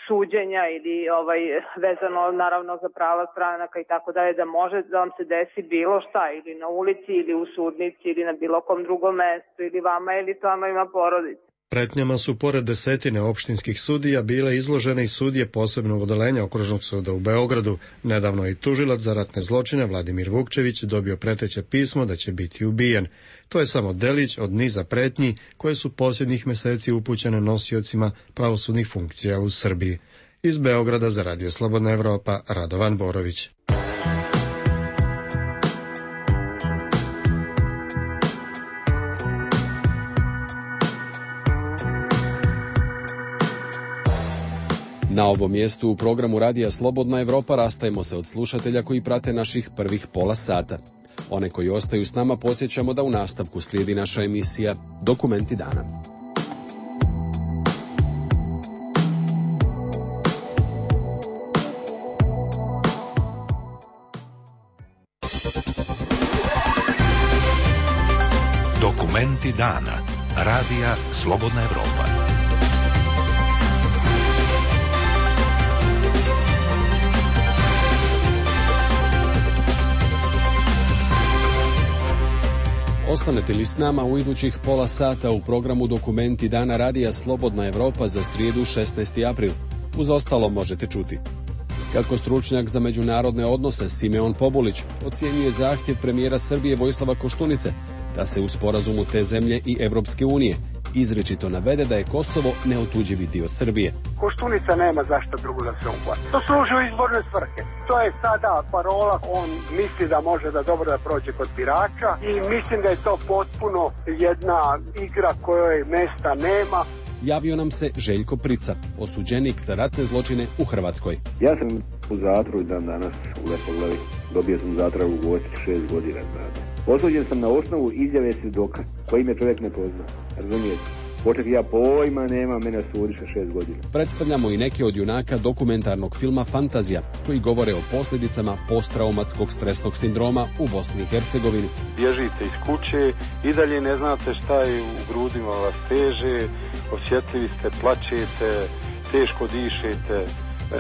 suđenja ili ovaj vezano naravno za prava stranaka i tako dalje, da može da vam se desi bilo šta ili na ulici ili u sudnici ili na bilo kom drugom mestu ili vama ili tamo ima porodica. Pretnjama su pored desetine opštinskih sudija bile izložene i sudije posebnog odeljenja Okružnog suda u Beogradu. Nedavno i tužilac za ratne zločine Vladimir Vukčević dobio preteće pismo da će biti ubijen. To je samo delić od niza pretnji koje su posljednjih meseci upućene nosiocima pravosudnih funkcija u Srbiji. Iz Beograda za Radio Slobodna Evropa, Radovan Borović. Na ovom mjestu u programu Radija Slobodna Evropa rastajemo se od slušatelja koji prate naših prvih pola sata. One koji ostaju s nama podsjećamo da u nastavku slijedi naša emisija Dokumenti dana. Dokumenti dana. Radija Slobodna Evropa. Ostanete li s nama u idućih pola sata u programu Dokumenti dana Radija Slobodna Evropa za srijedu šesnaesti april. Uz ostalo možete čuti kako stručnjak za međunarodne odnose Simeon Pobulić ocjenjuje zahtjev premijera Srbije Vojislava Koštunice da se u sporazumu te zemlje i Evropske unije izričito navede da je Kosovo neotuđivi dio Srbije. Koštunica nema zašto drugo da se uhvati. To služi u izborne svrhe. To je sada parola, on misli da može da dobro da prođe kod birača i mislim da je to potpuno jedna igra kojoj mesta nema. Javio nam se Željko Prica, osuđenik za ratne zločine u Hrvatskoj. Ja sam u zatvoru dan danas u Lepoglavi. Dobio sam zatvor u Gospiću šest godina. Znate. Osuđen sam na osnovu izjave svjedoka koji me čovjek ne pozna. Razumijete? Poček ja pojma nema, mene sudiše šest godina. Predstavljamo i neke od junaka dokumentarnog filma Fantazija, koji govore o posljedicama posttraumatskog stresnog sindroma u Bosni i Hercegovini. Bježite iz kuće, i dalje ne znate šta je u grudima vas teže, osjetljivi ste, plačete, teško dišete,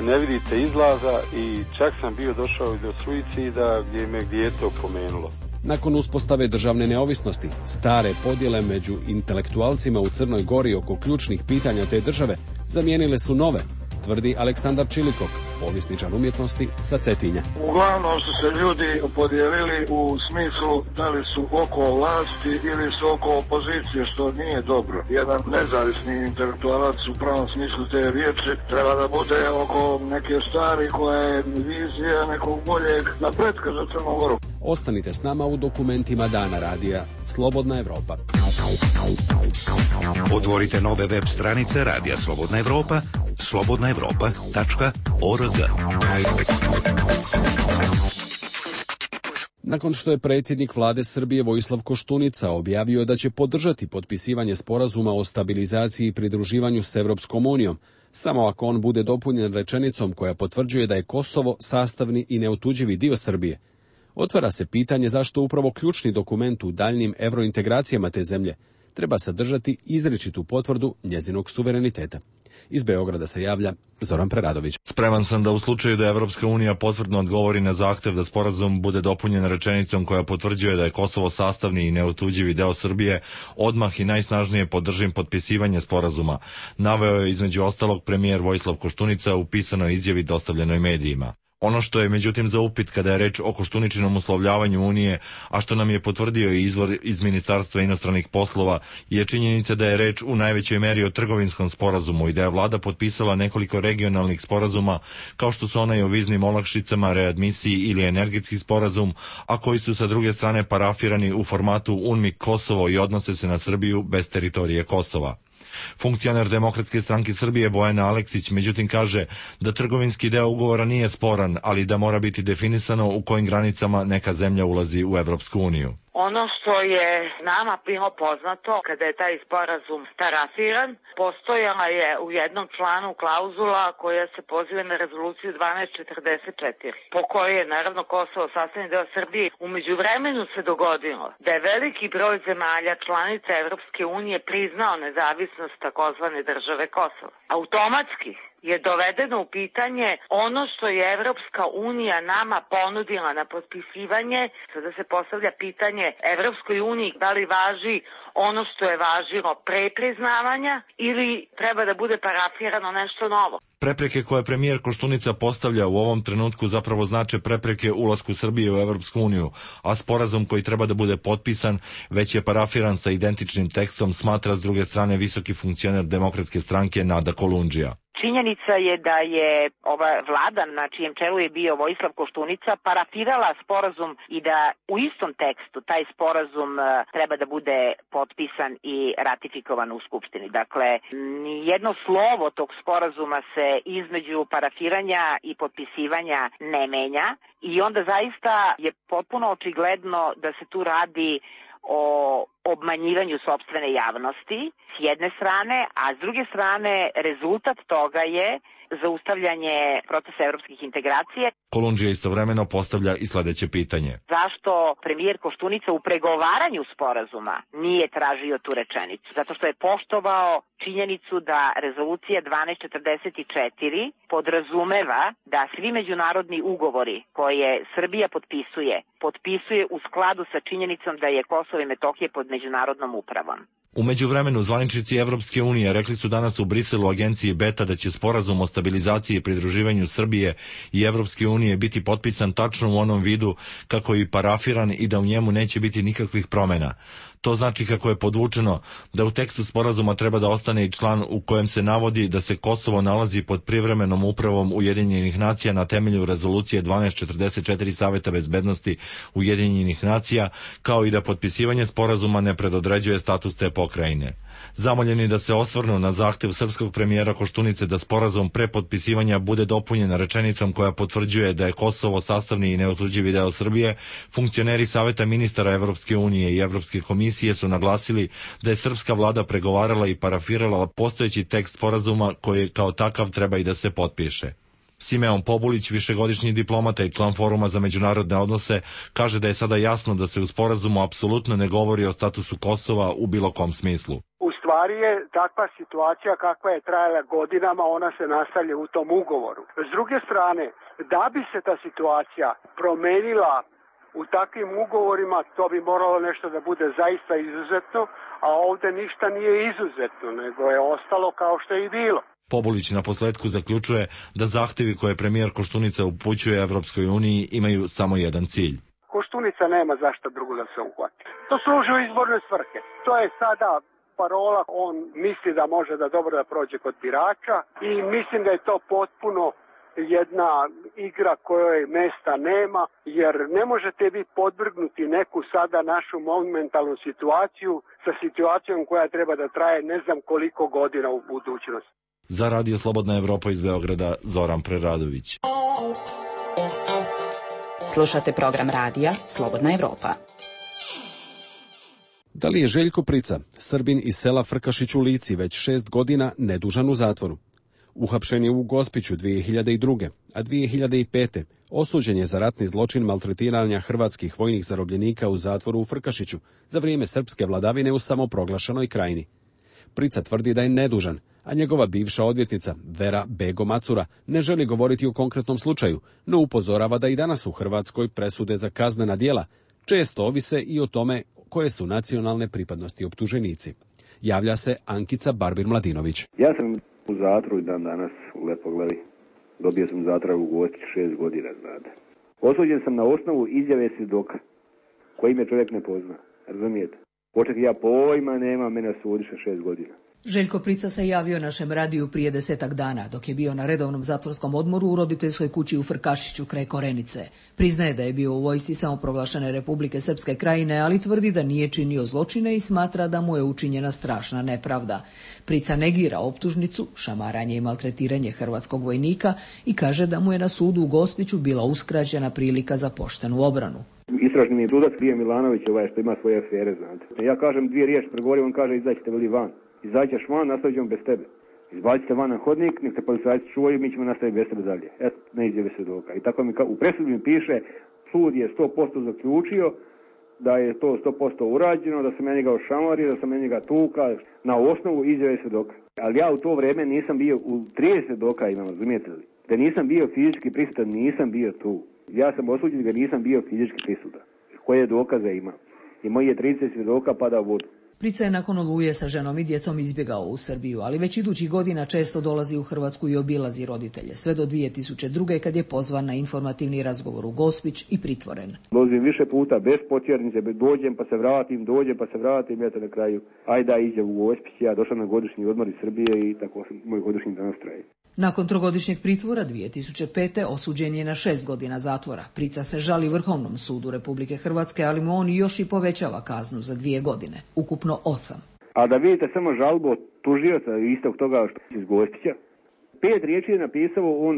ne vidite izlaza i čak sam bio došao i do suicida gdje me dijete opomenulo. Nakon uspostave državne neovisnosti, stare podjele među intelektualcima u Crnoj Gori oko ključnih pitanja te države zamijenile su nove, tvrdi Aleksandar Čilikov, povjesničar umjetnosti sa Cetinja. Uglavnom su se ljudi podijelili u smislu da li su oko vlasti ili su oko opozicije, što nije dobro. Jedan nezavisni intelektualac u pravom smislu te riječi treba da bude oko neke stvari koja je vizija nekog boljeg napretka za Crnu Goru. Ostanite s nama u dokumentima dana Radija Slobodna Evropa. Otvorite nove web stranice Radija Slobodna Evropa, slobodna evropa tačka org. Nakon što je predsjednik vlade Srbije Vojislav Koštunica objavio da će podržati potpisivanje sporazuma o stabilizaciji i pridruživanju s Evropskom unijom, samo ako on bude dopunjen rečenicom koja potvrđuje da je Kosovo sastavni i neotuđivi dio Srbije, otvara se pitanje zašto upravo ključni dokument u daljnim evrointegracijama te zemlje treba sadržati izričitu potvrdu njezinog suvereniteta. Iz Beograda se javlja Zoran Preradović. Spreman sam da u slučaju da Evropska unija potvrdno odgovori na zahtev da sporazum bude dopunjen rečenicom koja potvrđuje da je Kosovo sastavni i neotuđivi deo Srbije, odmah i najsnažnije podržim potpisivanje sporazuma, naveo je između ostalog premijer Vojislav Koštunica u pisanoj izjavi dostavljenoj medijima. Ono što je međutim za upit kada je reč o Koštuničinom uslovljavanju Unije, a što nam je potvrdio i izvor iz Ministarstva inostranih poslova, je činjenica da je reč u najvećoj meri o trgovinskom sporazumu i da je vlada potpisala nekoliko regionalnih sporazuma, kao što su onaj o viznim olakšicama, readmisiji ili energetski sporazum, a koji su sa druge strane parafirani u formatu UNMIK Kosovo i odnose se na Srbiju bez teritorije Kosova. Funkcioner Demokratske stranke Srbije Bojana Aleksić međutim kaže da trgovinski deo ugovora nije sporan, ali da mora biti definisano u kojim granicama neka zemlja ulazi u Evropsku uniju. Ono što je nama bilo poznato, kada je taj sporazum parafiran, postojala je u jednom članu klauzula koja se poziva na rezoluciju dvanaest četrdeset četiri, po kojoj je naravno Kosovo sastavni deo Srbije. U međuvremenu se dogodilo da je veliki broj zemalja članica Evropske unije priznao nezavisnost takozvane države Kosovo. Automatski je dovedeno u pitanje ono što je Evropska unija nama ponudila na potpisivanje. Sada se postavlja pitanje Evropskoj uniji da li važi ono što je važilo pre priznavanja ili treba da bude parafirano nešto novo. Prepreke koje premijer Koštunica postavlja u ovom trenutku zapravo znače prepreke ulasku Srbije u Evropsku uniju, a sporazum koji treba da bude potpisan već je parafiran sa identičnim tekstom, smatra s druge strane visoki funkcioner Demokratske stranke Nada Kolundžija. Činjenica je da je ova vlada na čijem čelu je bio Vojislav Koštunica parafirala sporazum i da u istom tekstu taj sporazum treba da bude potpisan i ratifikovan u Skupštini. Dakle, nijedno slovo tog sporazuma se između parafiranja i potpisivanja ne menja i onda zaista je potpuno očigledno da se tu radi o obmanjivanju sopstvene javnosti s jedne strane, a s druge strane rezultat toga je zaustavljanje procesa evropskih integracija. Kolundžija istovremeno postavlja i sledeće pitanje. Zašto premijer Koštunica u pregovaranju sporazuma nije tražio tu rečenicu? Zato što je poštovao činjenicu da rezolucija dvanaest četrdeset četiri podrazumeva da svi međunarodni ugovori koje Srbija potpisuje, potpisuje u skladu sa činjenicom da je Kosovo i Metohija pod međunarodnom upravom. U međuvremenu, zvaničnici Evropske unije rekli su danas u Briselu agenciji Beta da će sporazum o stabilizaciji i pridruživanju Srbije i Evropske unije biti potpisan tačno u onom vidu kako je parafiran i da u njemu neće biti nikakvih promena. To znači, kako je podvučeno, da u tekstu sporazuma treba da ostane i član u kojem se navodi da se Kosovo nalazi pod privremenom upravom Ujedinjenih nacija na temelju rezolucije dvanaest četrdeset četiri Saveta bezbednosti Ujedinjenih nacija, kao i da potpisivanje sporazuma ne predodređuje status te pokrajine. Zamoljeni da se osvrnu na zahtev srpskog premijera Koštunice da sporazum pre potpisivanja bude dopunjen rečenicom koja potvrđuje da je Kosovo sastavni i neotuđivi deo Srbije, funkcioneri Saveta ministara Evropske unije i Evropske komisije su naglasili da je srpska vlada pregovarala i parafirala postojeći tekst sporazuma koji kao takav treba i da se potpiše. Simeon Pobulić, višegodišnji diplomata i član Foruma za međunarodne odnose, kaže da je sada jasno da se u sporazumu apsolutno ne govori o statusu Kosova u bilo kom smislu. U stvari je takva situacija kakva je trajala godinama, ona se nastavlja u tom ugovoru. S druge strane, da bi se ta situacija promenila u takvim ugovorima, to bi moralo nešto da bude zaista izuzetno, a ovde ništa nije izuzetno, nego je ostalo kao što je i bilo. Pobulić na posledku zaključuje da zahtevi koje premijer Koštunica upućuje Evropskoj uniji imaju samo jedan cilj. Koštunica nema zašto drugo da se uhvati. To služi u izborne svrhe. To je sada parola, on misli da može da dobro da prođe kod birača i mislim da je to potpuno jedna igra kojoj mesta nema, jer ne možete vi podvrgnuti neku sada našu momentalnu situaciju sa situacijom koja treba da traje ne znam koliko godina u budućnosti. Za Radio Slobodna Evropa iz Beograda, Zoran Preradović. Slušate program radija Slobodna Evropa. Da li je Željko Prica, Srbin iz sela Frkašić u Lici, već šest godina nedužan u zatvoru? Uhapšen je u Gospiću dvije hiljade druge. a dvije hiljade pete. osuđen je za ratni zločin maltretiranja hrvatskih vojnih zarobljenika u zatvoru u Frkašiću za vrijeme srpske vladavine u samoproglašenoj krajini. Prica tvrdi da je nedužan, a njegova bivša odvjetnica Vera Bego Macura ne želi govoriti o konkretnom slučaju, no upozorava da i danas u Hrvatskoj presude za kaznena djela često ovise i o tome koje su nacionalne pripadnosti optuženici. Javlja se Ankica Barbir-Mladinović. Ja sam u zatvoru i dan danas u Lepoglavi. Dobio sam zatvor u Gospiću šest godina, znate. Osuđen sam na osnovu izjave svjedoka, koji me čovjek ne pozna, razumijete? Poček ja pojma nema, mene sudiše šest godina. Željko Prica se javio našem radiju prije desetak dana, dok je bio na redovnom zatvorskom odmoru u roditeljskoj kući u Frkašiću kraj Korenice. Priznaje da je bio u vojsci samoproglašene Republike Srpske krajine, ali tvrdi da nije činio zločine i smatra da mu je učinjena strašna nepravda. Prica negira optužnicu, šamaranje i maltretiranje hrvatskog vojnika i kaže da mu je na sudu u Gospiću bila uskraćena prilika za poštenu obranu. Istražni mi je sudac bio Milanović, ovaj što ima svoje afere, znate. Ja kažem dvije riječi, pregovorim, on kaže izađite veli van. Izađeš van, nastavit ćemo bez tebe. Izbacite van na hodnik, nek te policajci čuvaju, mi ćemo nastaviti bez tebe dalje. Eto, ne izjave svjedoka. I tako mi, u presudi mi piše, sud je sto posto zaključio da je to sto posto urađeno, da sam ja njega ošamario, da sam ja njega tuka, na osnovu izjave svjedoka. Ali ja u to vrijeme nisam bio, u trideset svjedoka imam, razumijete li? Da nisam bio fizički prisutan, nisam bio tu. Ja sam osuđen da nisam bio fizički prisutan. Koje dokaze imam? I moji je trideset svjedoka pada u vodu. Prica je nakon Oluje sa ženom i djecom izbjegao u Srbiju, ali već idućih godina često dolazi u Hrvatsku i obilazi roditelje, sve do dvije tisuće druge. kad je pozvan na informativni razgovor u Gospić i pritvoren. Dolazim više puta bez potjernice, dođem pa se vratim, dođem pa se vratim, eto na kraju, ajde da iđe u Gospić, ja došao na godišnji odmor iz Srbije i tako sam moj godišnji danas traje. Nakon trogodišnjeg pritvora dvije tisuće pete. osuđen je na šest godina zatvora. Prica se žali Vrhovnom sudu Republike Hrvatske, ali mu on još i povećava kaznu za dvije godine, ukupno osam. A da vidite samo žalbu od tužioca istog toga što iz Gospića, pet riječi je napisao on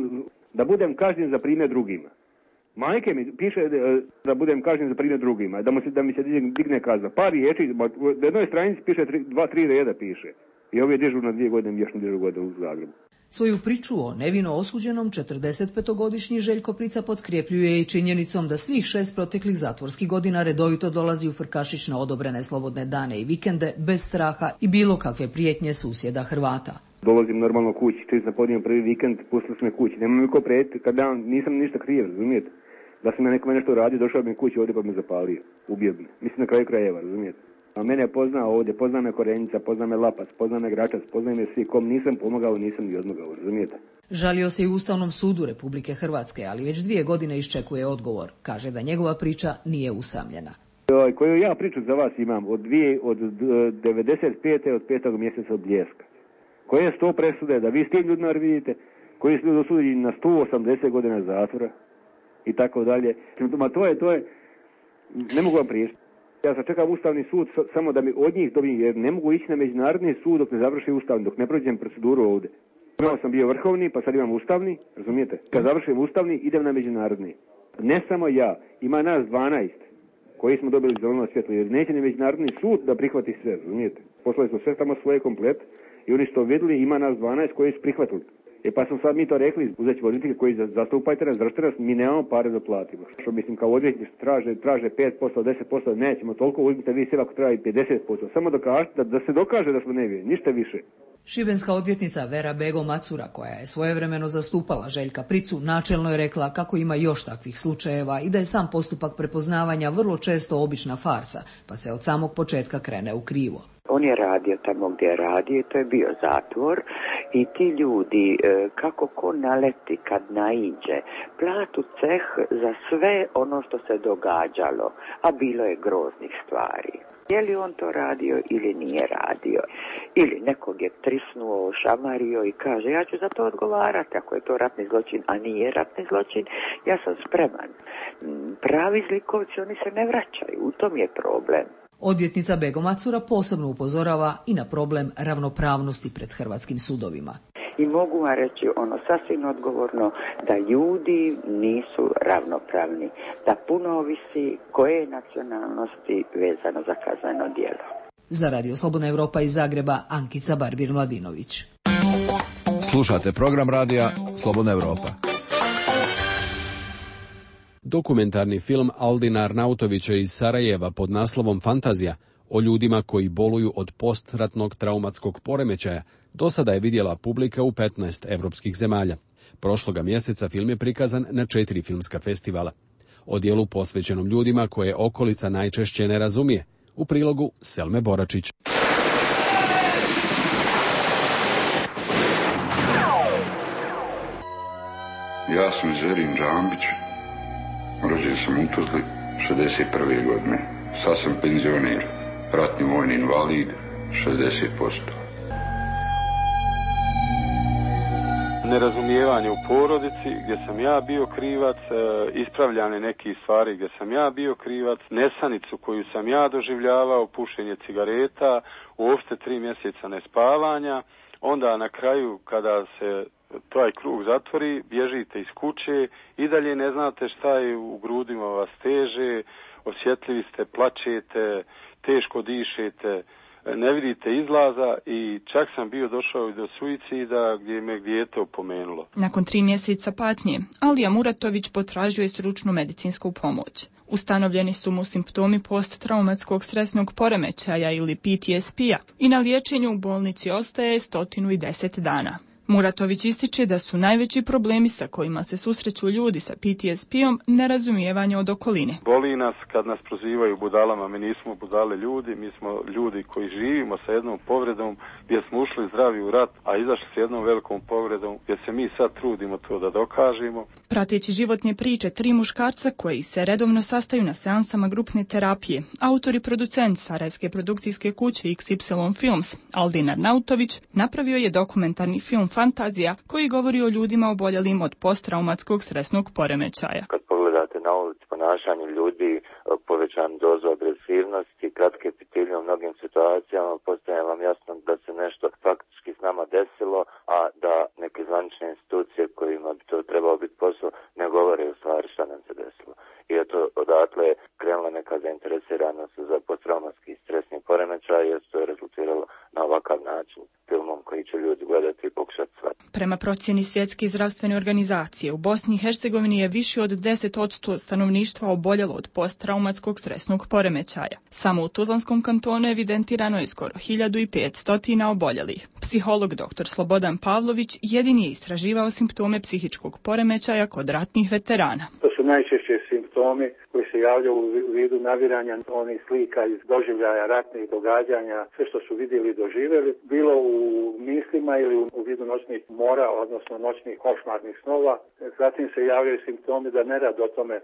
da budem kažnjen za primjer drugima. Majke mi piše da budem kažnjen za primjer drugima, da, mu se, da mi se digne kazna. Par riječi, na jednoj stranici piše tri, dva, tri reda piše. I ovo je dežurno dvije godine, još ne dežurno godine u Zagrebu. Svoju priču o nevino osuđenom četrdesetpetogodišnji Željko Prica potkrepljuje i činjenicom da svih šest proteklih zatvorskih godina redovito dolazi u Frkašić na odobrene slobodne dane i vikende bez straha i bilo kakve prijetnje susjeda Hrvata. Dolazim normalno kući, čim sam podnijem prvi vikend, pustili su me kući. Nema mi ko prijetiti, kad ja nisam ništa kriv, razumijete? Da sam ja nekome nešto radio, došao bi mi kući ovdje pa me zapalio, ubio bi. Mislim na kraju krajeva, razumijete? A mene je poznao ovdje, pozna me Korenica, pozna me Lapac, pozna me Gračac, pozna me svi, kom nisam pomogao, nisam ni odmogao, razumijete? Žalio se i u Ustavnom sudu Republike Hrvatske, ali već dvije godine iščekuje odgovor. Kaže da njegova priča nije usamljena. Koju ja priču za vas imam od, dvije, od devedeset pete. od petog mjeseca od Bljeska. Koje sto presude, da vi s tim ljudima vidite, koji su ljudi osuđeni na sto osamdeset godina zatvora i tako dalje. Ma to je, to je, ne mogu vam priješiti. Ja sam čekam Ustavni sud samo da mi od njih dobijem, jer ne mogu ići na međunarodni sud dok ne završi Ustavni, dok ne prođem proceduru ovdje. Prvo sam bio vrhovni, pa sad imam Ustavni, razumijete? Kad završim Ustavni, idem na međunarodni. Ne samo ja, ima nas dvanaest koji smo dobili zeleno svjetlo, jer neće ni međunarodni sud da prihvati sve, razumijete? Poslali smo sve tamo svoje komplet i oni što vidjeli, ima nas dvanaest koji su prihvatili. E pa smo sad mi to rekli, uzet ćemo odvjetnike koji zastupajte nas, zdržite nas, mi nemamo pare da platimo. Što mislim, kao odvjetnici traže, traže pet posto, deset posto, nećemo toliko, uzmite vi sve ako treba i pedeset posto. Samo dokažete, da, da se dokaže da smo nevini, ništa više. Šibenska odvjetnica Vera Bego Macura, koja je svojevremeno zastupala Željka Pricu, načelno je rekla kako ima još takvih slučajeva i da je sam postupak prepoznavanja vrlo često obična farsa, pa se od samog početka krene u krivo. On je radio tamo gdje je radio, to je bio zatvor i ti ljudi, kako ko naleti kad naiđe, platu ceh za sve ono što se događalo, a bilo je groznih stvari. Je li on to radio ili nije radio? Ili nekog je trisnuo, šamario i kaže ja ću za to odgovarati ako je to ratni zločin, a nije ratni zločin, ja sam spreman. Pravi zlikovci, oni se ne vraćaju, u tom je problem. Odvjetnica Bego Macura posebno upozorava i na problem ravnopravnosti pred hrvatskim sudovima. I mogu vam reći ono sasvim odgovorno da ljudi nisu ravnopravni, da puno ovisi koje je nacionalnosti vezano za kazneno djelo. Za Radio Slobodna Europa iz Zagreba, Ankica Barbir-Mladinović. Slušate program radija Slobodna Europa. Dokumentarni film Aldina Arnautovića iz Sarajeva pod naslovom Fantazija o ljudima koji boluju od postratnog traumatskog poremećaja do sada je vidjela publika u petnaest evropskih zemalja. Prošloga mjeseca film je prikazan na četiri filmska festivala. O dijelu posvećenom ljudima koje okolica najčešće ne razumije. U prilogu Selme Boračić. Ja sam Zerin Džambić. Rođen sam u Tuzli šezdeset prve godine. Sad sam penzioner, ratni vojni invalid, šezdeset posto. Nerazumijevanje u porodici gdje sam ja bio krivac, ispravljane nekih stvari gdje sam ja bio krivac, nesanicu koju sam ja doživljavao, pušenje cigareta, uopšte tri mjeseca nespavanja, onda na kraju kada se taj krug zatvori, bježite iz kuće i dalje ne znate šta je u grudima vas teže, osjetljivi ste, plačete, teško dišete, ne vidite izlaza i čak sam bio došao i do suicida gdje me dijete opomenulo. Nakon tri mjeseca patnje, Alija Muratović potražio je stručnu medicinsku pomoć. Ustanovljeni su mu simptomi posttraumatskog stresnog poremećaja ili P T S P-a i na liječenju u bolnici ostaje sto deset dana. Muratović ističe da su najveći problemi sa kojima se susreću ljudi sa P T S P-om nerazumijevanje od okoline. Boli nas kad nas prozivaju budalama, mi nismo budale ljudi, mi smo ljudi koji živimo sa jednom povredom gdje smo ušli zdravi u rat, a izašli s jednom velikom povredom gdje se mi sad trudimo to da dokažemo. Prateći životne priče tri muškarca koji se redovno sastaju na seansama grupne terapije, autor i producent sarajevske produkcijske kuće X Y Films, Aldin Arnautović, napravio je dokumentarni film Fantazija koji govori o ljudima oboljelim od posttraumatskog stresnog poremećaja. Kad pogledate na ulici ponašanje ljudi, povećan dozu agresivnosti, kratke pitilje u mnogim situacijama, postaje vam jasno da se nešto faktički s nama desilo, a da neke zvanične institucije kojima bi to trebao biti posao ne govore u stvari šta nam se desilo. I eto, odatle je krenula neka zainteresiranost za posttraumatski stresni poremećaj, jer to je rezultiralo na ovakav način filmom koji će ljudi gledati i pokušati shvatiti. Prema procjeni Svjetske zdravstvene organizacije, u Bosni i Hercegovini je više od deset posto stanovništva oboljelo od posttraumatskog stresnog poremećaja. Samo u Tuzlanskom kantonu evidentirano je skoro hiljadu petsto oboljelih. Psiholog doktor Slobodan Pavlović jedini je istraživao simptome psihičkog poremećaja kod ratnih veterana. To su najčešće simptomi koji se javljaju u vidu naviranja onih slika iz doživljaja ratnih događanja, sve što su vidjeli i doživjeli, bilo u mislima ili u vidu noćnih mora, odnosno noćnih košmarnih snova. Zatim se javljaju simptomi da nerad o tome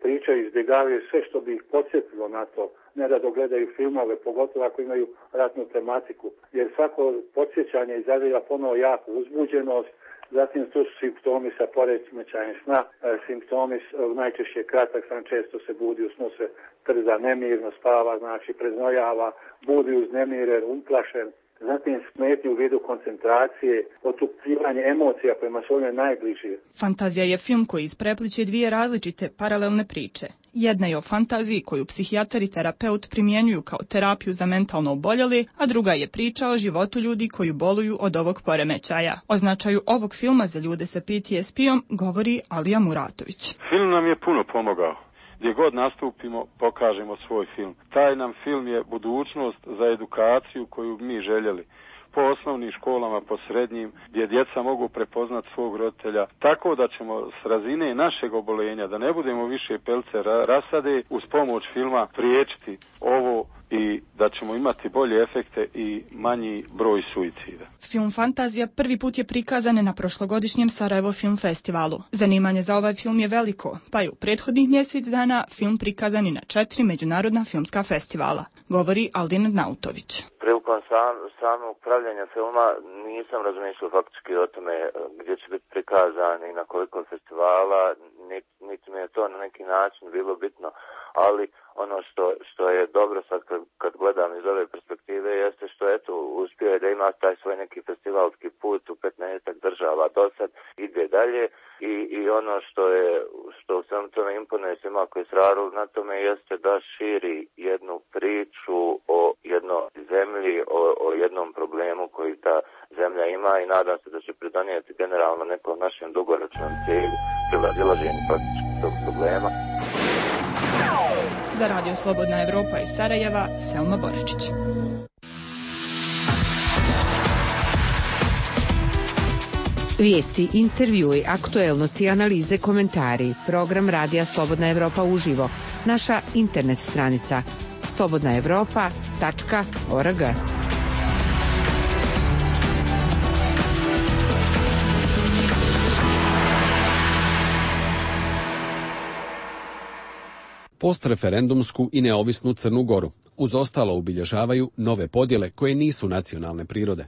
pričaju, izbjegavaju sve što bi ih podsjetilo na to. Nerado gledaju filmove, pogotovo ako imaju ratnu tematiku, jer svako podsjećanje izaziva ponovo jaku uzbuđenost. Zatim tu su simptomi sa poremećajem sna, simptomi najčešće kratak san, često se budi u snu, se trza, nemirno spava, znači preznojava, budi uznemiren, uplašen. Zatim smetnje u vidu koncentracije, otupljivanje emocija kojima su one najbliži. Fantazija je film koji isprepliče dvije različite paralelne priče. Jedna je o fantaziji koju psihijatar i terapeut primjenjuju kao terapiju za mentalno oboljeli, a druga je priča o životu ljudi koji boluju od ovog poremećaja. O značaju ovog filma za ljude sa P T S P-om govori Alija Muratović. Film nam je puno pomogao. Gdje god nastupimo, pokažemo svoj film. Taj nam film je budućnost za edukaciju koju mi željeli. Po osnovnim školama, po srednjim, gdje djeca mogu prepoznat svog roditelja, tako da ćemo s razine našeg obolenja, da ne budemo više pelce rasade, uz pomoć filma priječiti ovo i da ćemo imati bolje efekte i manji broj suicida. Film Fantazija prvi put je prikazan na prošlogodišnjem Sarajevo Film Festivalu. Zanimanje za ovaj film je veliko, pa je u prethodnih mjesec dana film prikazan i na četiri međunarodna filmska festivala, govori Aldin Nautović. Prilikom sam, samog pravljanja filma nisam razmišljao faktički o tome gdje će biti prikazan i na koliko festivala, niti, niti mi je to na neki način bilo bitno, ali ono što, što je dobro sad kad, kad gledam iz ove perspektive jeste što eto uspio je da ima taj svoj neki festivalski put u petnaestak država do sad, ide dalje i, i ono što je što u svemu tome imponuje svima koji se radili na tome jeste da širi jednu priču o jednoj zemlji, o, o jednom problemu koji ta zemlja ima i nadam se da će pridonijeti generalno nekom našem dugoročnom cilju prilazilaženju praktički tog problema. Za Radio Slobodna Evropa iz Sarajeva, Selma Boračić. Vijesti, intervjui, aktuelnosti, analize, komentari. Program Radija Slobodna Evropa uživo. Naša internet stranica slobodna evropa tačka org. Postreferendumsku i neovisnu Crnu Goru uz ostalo obilježavaju nove podjele koje nisu nacionalne prirode.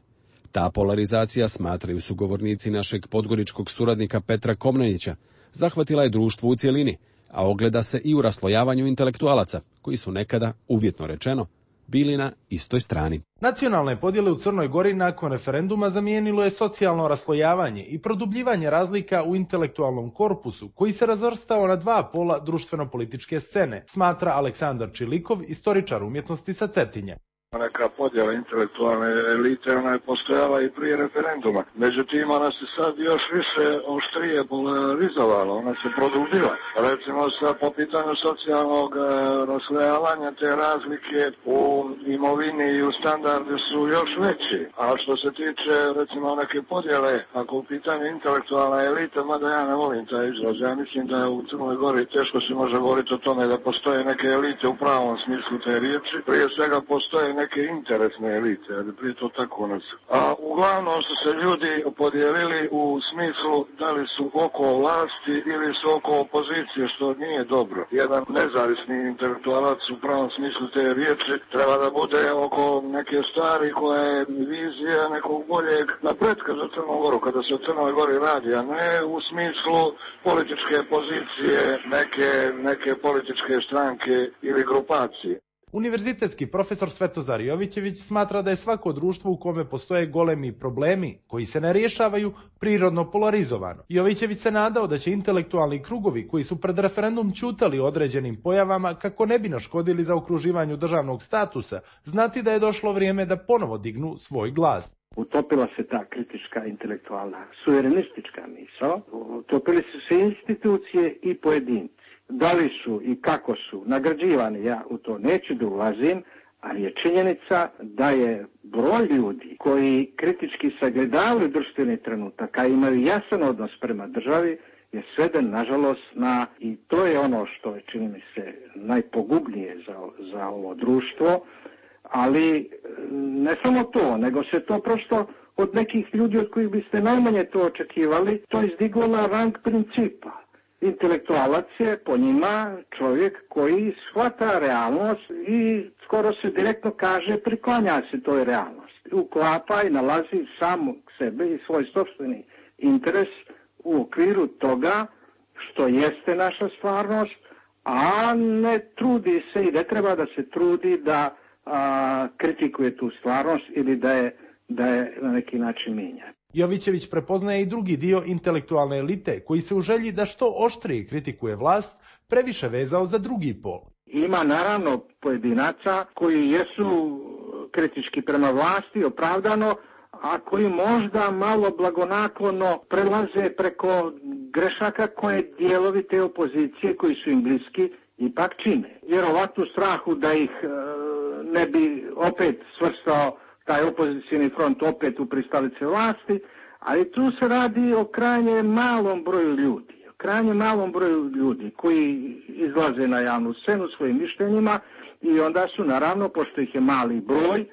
Ta polarizacija, smatraju sugovornici našeg podgoričkog suradnika Petra Komnenića, zahvatila je društvo u cjelini, a ogleda se i u raslojavanju intelektualaca, koji su nekada, uvjetno rečeno, bili na istoj strani. Nacionalne podjele u Crnoj Gori nakon referenduma zamijenilo je socijalno raslojavanje i produbljivanje razlika u intelektualnom korpusu, koji se razvrstao na dva pola društveno-političke scene, smatra Aleksandar Čilikov, istoričar umjetnosti sa Cetinje. Neka podjela intelektualne elite, ona je postojala i prije referenduma. Međutim, ona se sad još više oštrije polarizovala, ona se produbila. Recimo, sa, po pitanju socijalnog e, raslojavanja, te razlike u imovini i u standardu su još veći. A što se tiče, recimo, neke podjele, ako u pitanju intelektualna elita, mada ja ne volim taj izraz, ja mislim da je u Crnoj Gori teško se može govoriti o tome da postoje neke elite u pravom smislu te riječi. Prije svega postoje neke interesne elite, ali prije to tako nas. A uglavnom su se ljudi podijelili u smislu da li su oko vlasti ili su oko opozicije, što nije dobro. Jedan nezavisni intelektualac u pravom smislu te riječi treba da bude oko neke stvari koja je vizija nekog boljeg napretka za Crnu Goru, kada se o Crnoj Gori radi, a ne u smislu političke pozicije neke, neke političke stranke ili grupacije. Univerzitetski profesor Svetozar Jovićević smatra da je svako društvo u kome postoje golemi problemi koji se ne rješavaju prirodno polarizovano. Jovićević se nadao da će intelektualni krugovi koji su pred referendum ćutali određenim pojavama kako ne bi naškodili za okruživanju državnog statusa, znati da je došlo vrijeme da ponovo dignu svoj glas. Utopila se ta kritička intelektualna suverenistička misao, utopili su se institucije i pojedinci. Da li su i kako su nagrađivani, ja u to neću da ulazim, ali je činjenica da je broj ljudi koji kritički sagledavaju društveni trenutak, a imaju jasan odnos prema državi, je sveden, nažalost, na, i to je ono što je, čini mi se, najpogubnije za, za ovo društvo, ali ne samo to, nego se to prosto od nekih ljudi od kojih biste najmanje to očekivali, to izdiglo na rang principa. Intelektualac je po njima čovjek koji shvata realnost i skoro se direktno kaže priklanja se toj realnosti. Uklapa i nalazi samog sebe i svoj sopstveni interes u okviru toga što jeste naša stvarnost, a ne trudi se i ne treba da se trudi da a, kritikuje tu stvarnost ili da je, da je na neki način mijenja. Jovićević prepoznaje i drugi dio intelektualne elite koji se u želji da što oštrije kritikuje vlast previše vezao za drugi pol. Ima naravno pojedinaca koji jesu kritički prema vlasti opravdano, a koji možda malo blagonaklono prelaze preko grešaka koje dijelovi te opozicije koji su im bliski ipak čine. Vjerovatno strahu da ih e, ne bi opet svrstao taj opozicijni front opet u pristalice vlasti, ali tu se radi o krajnje malom broju ljudi, o krajnje malom broju ljudi koji izlaze na javnu scenu svojim mišljenjima i onda su naravno, pošto ih je mali broj,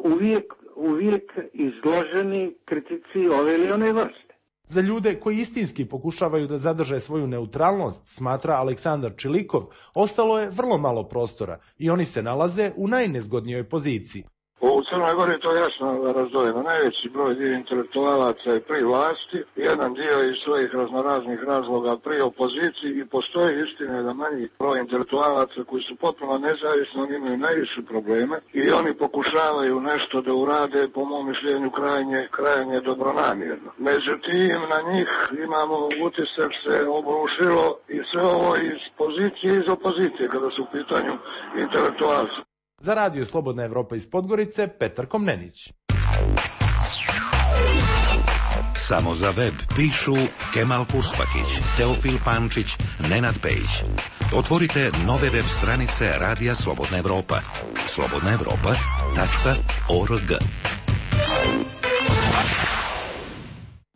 uvijek, uvijek izloženi kritici ove ili one vrste. Za ljude koji istinski pokušavaju da zadrže svoju neutralnost, smatra Aleksandar Čilikov, ostalo je vrlo malo prostora i oni se nalaze u najnezgodnijoj poziciji. U Crnoj Gori je to jasno razdvojeno. Najveći broj dio intelektualaca je pri vlasti, jedan dio iz svojih raznoraznih razloga pri opoziciji i postoji istina da manji broj intelektualaca koji su potpuno nezavisni, oni imaju najviše probleme i oni pokušavaju nešto da urade, po mom mišljenju, krajnje, krajnje dobronamjerno. Međutim, na njih imamo utisak se obrušilo i sve ovo iz pozicije i iz opozicije kada su u pitanju intelektualci. Za Radio Slobodna Evropa iz Podgorice, Petar Komnenić. Samo za web pišu Kemal Kurspakić, Teofil Pančić, Nenad Pejić. Otvorite nove web stranice Radija Slobodna Evropa. slobodna evropa tačka org.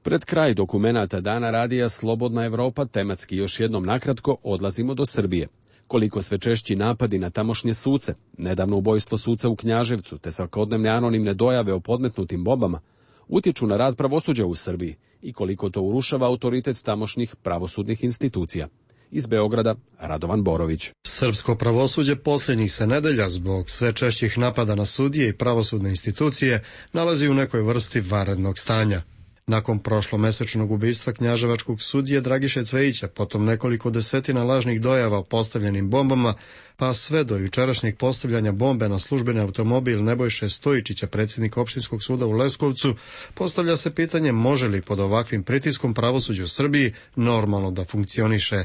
Pred kraj dokumenata Dana Radija Slobodna Evropa tematski još jednom nakratko odlazimo do Srbije. Koliko sve češći napadi na tamošnje suce, nedavno ubojstvo suca u Knjaževcu te svakodnevne anonimne dojave o podmetnutim bombama, utječu na rad pravosuđa u Srbiji i koliko to urušava autoritet tamošnjih pravosudnih institucija. Iz Beograda, Radovan Borović. Srpsko pravosuđe posljednjih se nedelja zbog sve češćih napada na sudije i pravosudne institucije nalazi u nekoj vrsti vanrednog stanja. Nakon prošlomesečnog ubistva knjaževačkog sudije Dragiše Cvejića, potom nekoliko desetina lažnih dojava o postavljenim bombama, pa sve do jučerašnjeg postavljanja bombe na službeni automobil Nebojše Stojičića, predsjednika opštinskog suda u Leskovcu, postavlja se pitanje može li pod ovakvim pritiskom pravosuđe u Srbiji normalno da funkcioniše.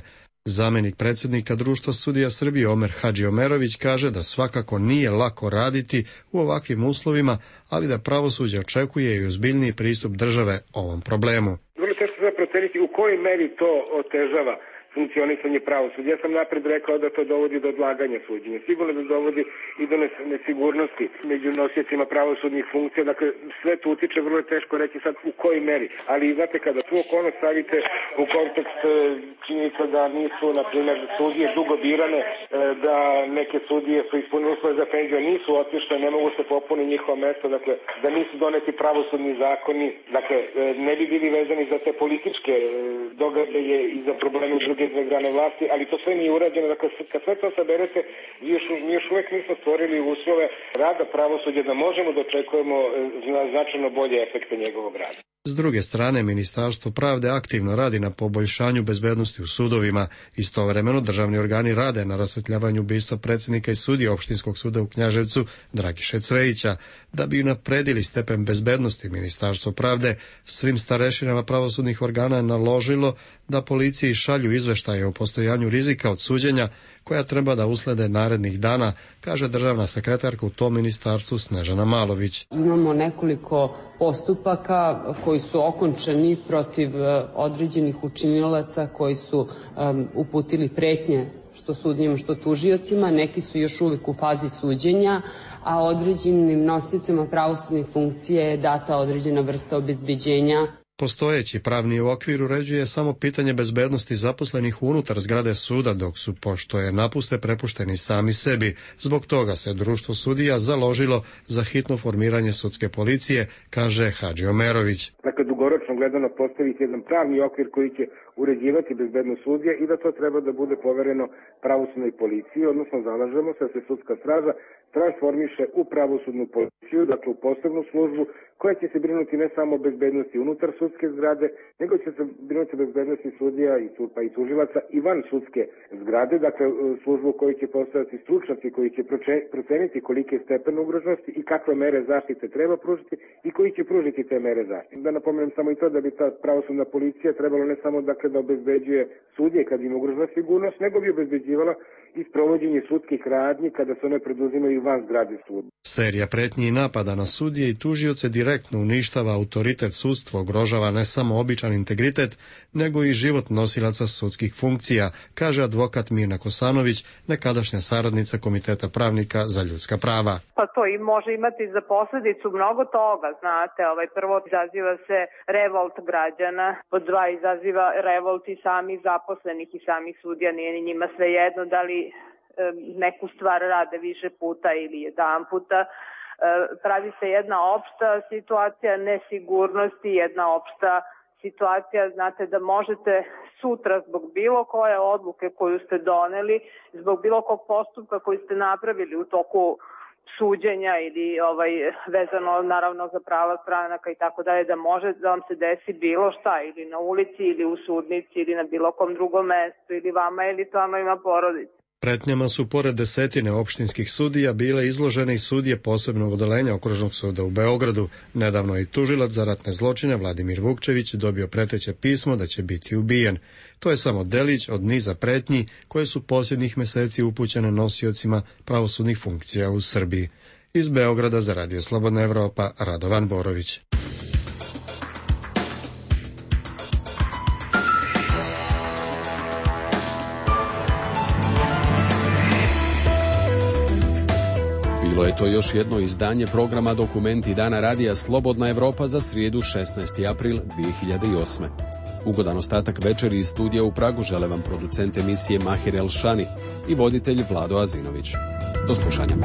Zamjenik predsjednika Društva sudija Srbije Omer Hadžiomerović kaže da svakako nije lako raditi u ovakvim uslovima, ali da pravosuđe očekuje i ozbiljniji pristup države ovom problemu. Vrlo teško se proceniti u kojoj meri to otežava funkcionisanje pravosuđa. Ja sam napred rekao da to dovodi do odlaganja suđenja. Sigurno da dovodi i do nesigurnosti među nosiocima pravosudnih funkcija. Dakle, sve to utiče, vrlo je teško reći sad u kojoj meri. Ali znate, kada tu okolnost stavite u kontekst činjenica da nisu, na primjer, sudije dugo birane, da neke sudije su ispunili uslove za penziju, nisu otišle, ne mogu se popuniti njihovo mesto, dakle, da nisu doneti pravosudni zakoni, dakle, ne bi bili vezani za te političke događaje i za probleme druge dve grane vlasti, ali to sve nije urađeno. Dakle, kad sve to saberete, mi još, mi još uvek nismo stvorili uslove rada pravosuđa da možemo da očekujemo značajno bolje efekte njegovog rada. S druge strane, Ministarstvo pravde aktivno radi na poboljšanju bezbednosti u sudovima. Istovremeno, državni organi rade na rasvetljavanju ubistva predsjednika i sudije Opštinskog suda u Knjaževcu Dragiše Cvejića. Da bi napredili stepen bezbednosti, Ministarstvo pravde svim starešinama pravosudnih organa je naložilo da policiji šalju izveštaje o postojanju rizika od suđenja koja treba da uslede narednih dana, kaže državna sekretarka u tom ministarstvu Snežana Malović. Imamo nekoliko postupaka koji su okončani protiv određenih učinilaca koji su um, uputili pretnje što sudijama, što tužiocima. Neki su još uvijek u fazi suđenja, a određenim nosiocima pravosudnih funkcija je data određena vrsta obezbeđenja. Postojeći pravni okvir uređuje samo pitanje bezbednosti zaposlenih unutar zgrade suda, dok su, pošto je napuste, prepušteni sami sebi. Zbog toga se Društvo sudija založilo za hitno formiranje sudske policije, kaže Hadžiomerović. Dakle, dugoročno gledano postaviti jedan pravni okvir koji će uređivati bezbednost sudija i da to treba da bude povereno pravosudnoj policiji, odnosno zalažemo se da se sudska straža transformiše u pravosudnu policiju, dakle u posebnu službu koja će se brinuti ne samo o bezbednosti unutar sudske zgrade, nego će se brinuti o bezbednosti sudija i, pa i tužilaca i van sudske zgrade, dakle službu u kojoj će postojati stručnjaci koji će proceniti koliki je stepen ugroženosti i kakve mere zaštite treba pružiti i koji će pružiti te mere zaštite. Da napomenem samo i to da bi ta pravosudna policija trebalo ne samo dakle da obezbeđuje sudije kad im ugrožena sigurnost, nego bi obezbeđivala i sprovođenje sudskih radnji kada se one preduzimaju van zgrade suda. Serija pretnji i napada na sudije i tužioce direktno uništava autoritet sudstva, ugrožava ne samo običan integritet, nego i život nosilaca sudskih funkcija, kaže advokat Mirna Kosanović, nekadašnja saradnica Komiteta pravnika za ljudska prava. Pa to i može imati za posljedicu mnogo toga, znate, ovaj prvo izaziva se revolt građana, pod dva izaziva revolt i samih zaposlenih i samih sudija, nije ni njima svejedno da li neku stvar rade više puta ili jedan puta. Pravi se jedna opšta situacija nesigurnosti, jedna opšta situacija, znate, da možete sutra zbog bilo koje odluke koju ste doneli, zbog bilo kog postupka koji ste napravili u toku suđenja ili ovaj vezano naravno za prava stranaka i tako dalje, da može da vam se desi bilo šta ili na ulici ili u sudnici ili na bilo kom drugom mestu ili vama ili članovima porodice. Pretnjama su pored desetine opštinskih sudija bile izložene i sudije posebnog odeljenja Okružnog suda u Beogradu. Nedavno je tužilac za ratne zločine Vladimir Vukčević dobio preteće pismo da će biti ubijen. To je samo delić od niza pretnji koje su posljednjih meseci upućene nosiocima pravosudnih funkcija u Srbiji. Iz Beograda za Radio Slobodna Evropa, Radovan Borović. Bilo je to još jedno izdanje programa Dokumenti Dana Radija Slobodna Evropa za srijedu šesnaesti april dvije hiljade osme. Ugodan ostatak večeri iz studija u Pragu žele vam producent emisije Mahir Elšani i voditelj Vlado Azinović. Do slušanja.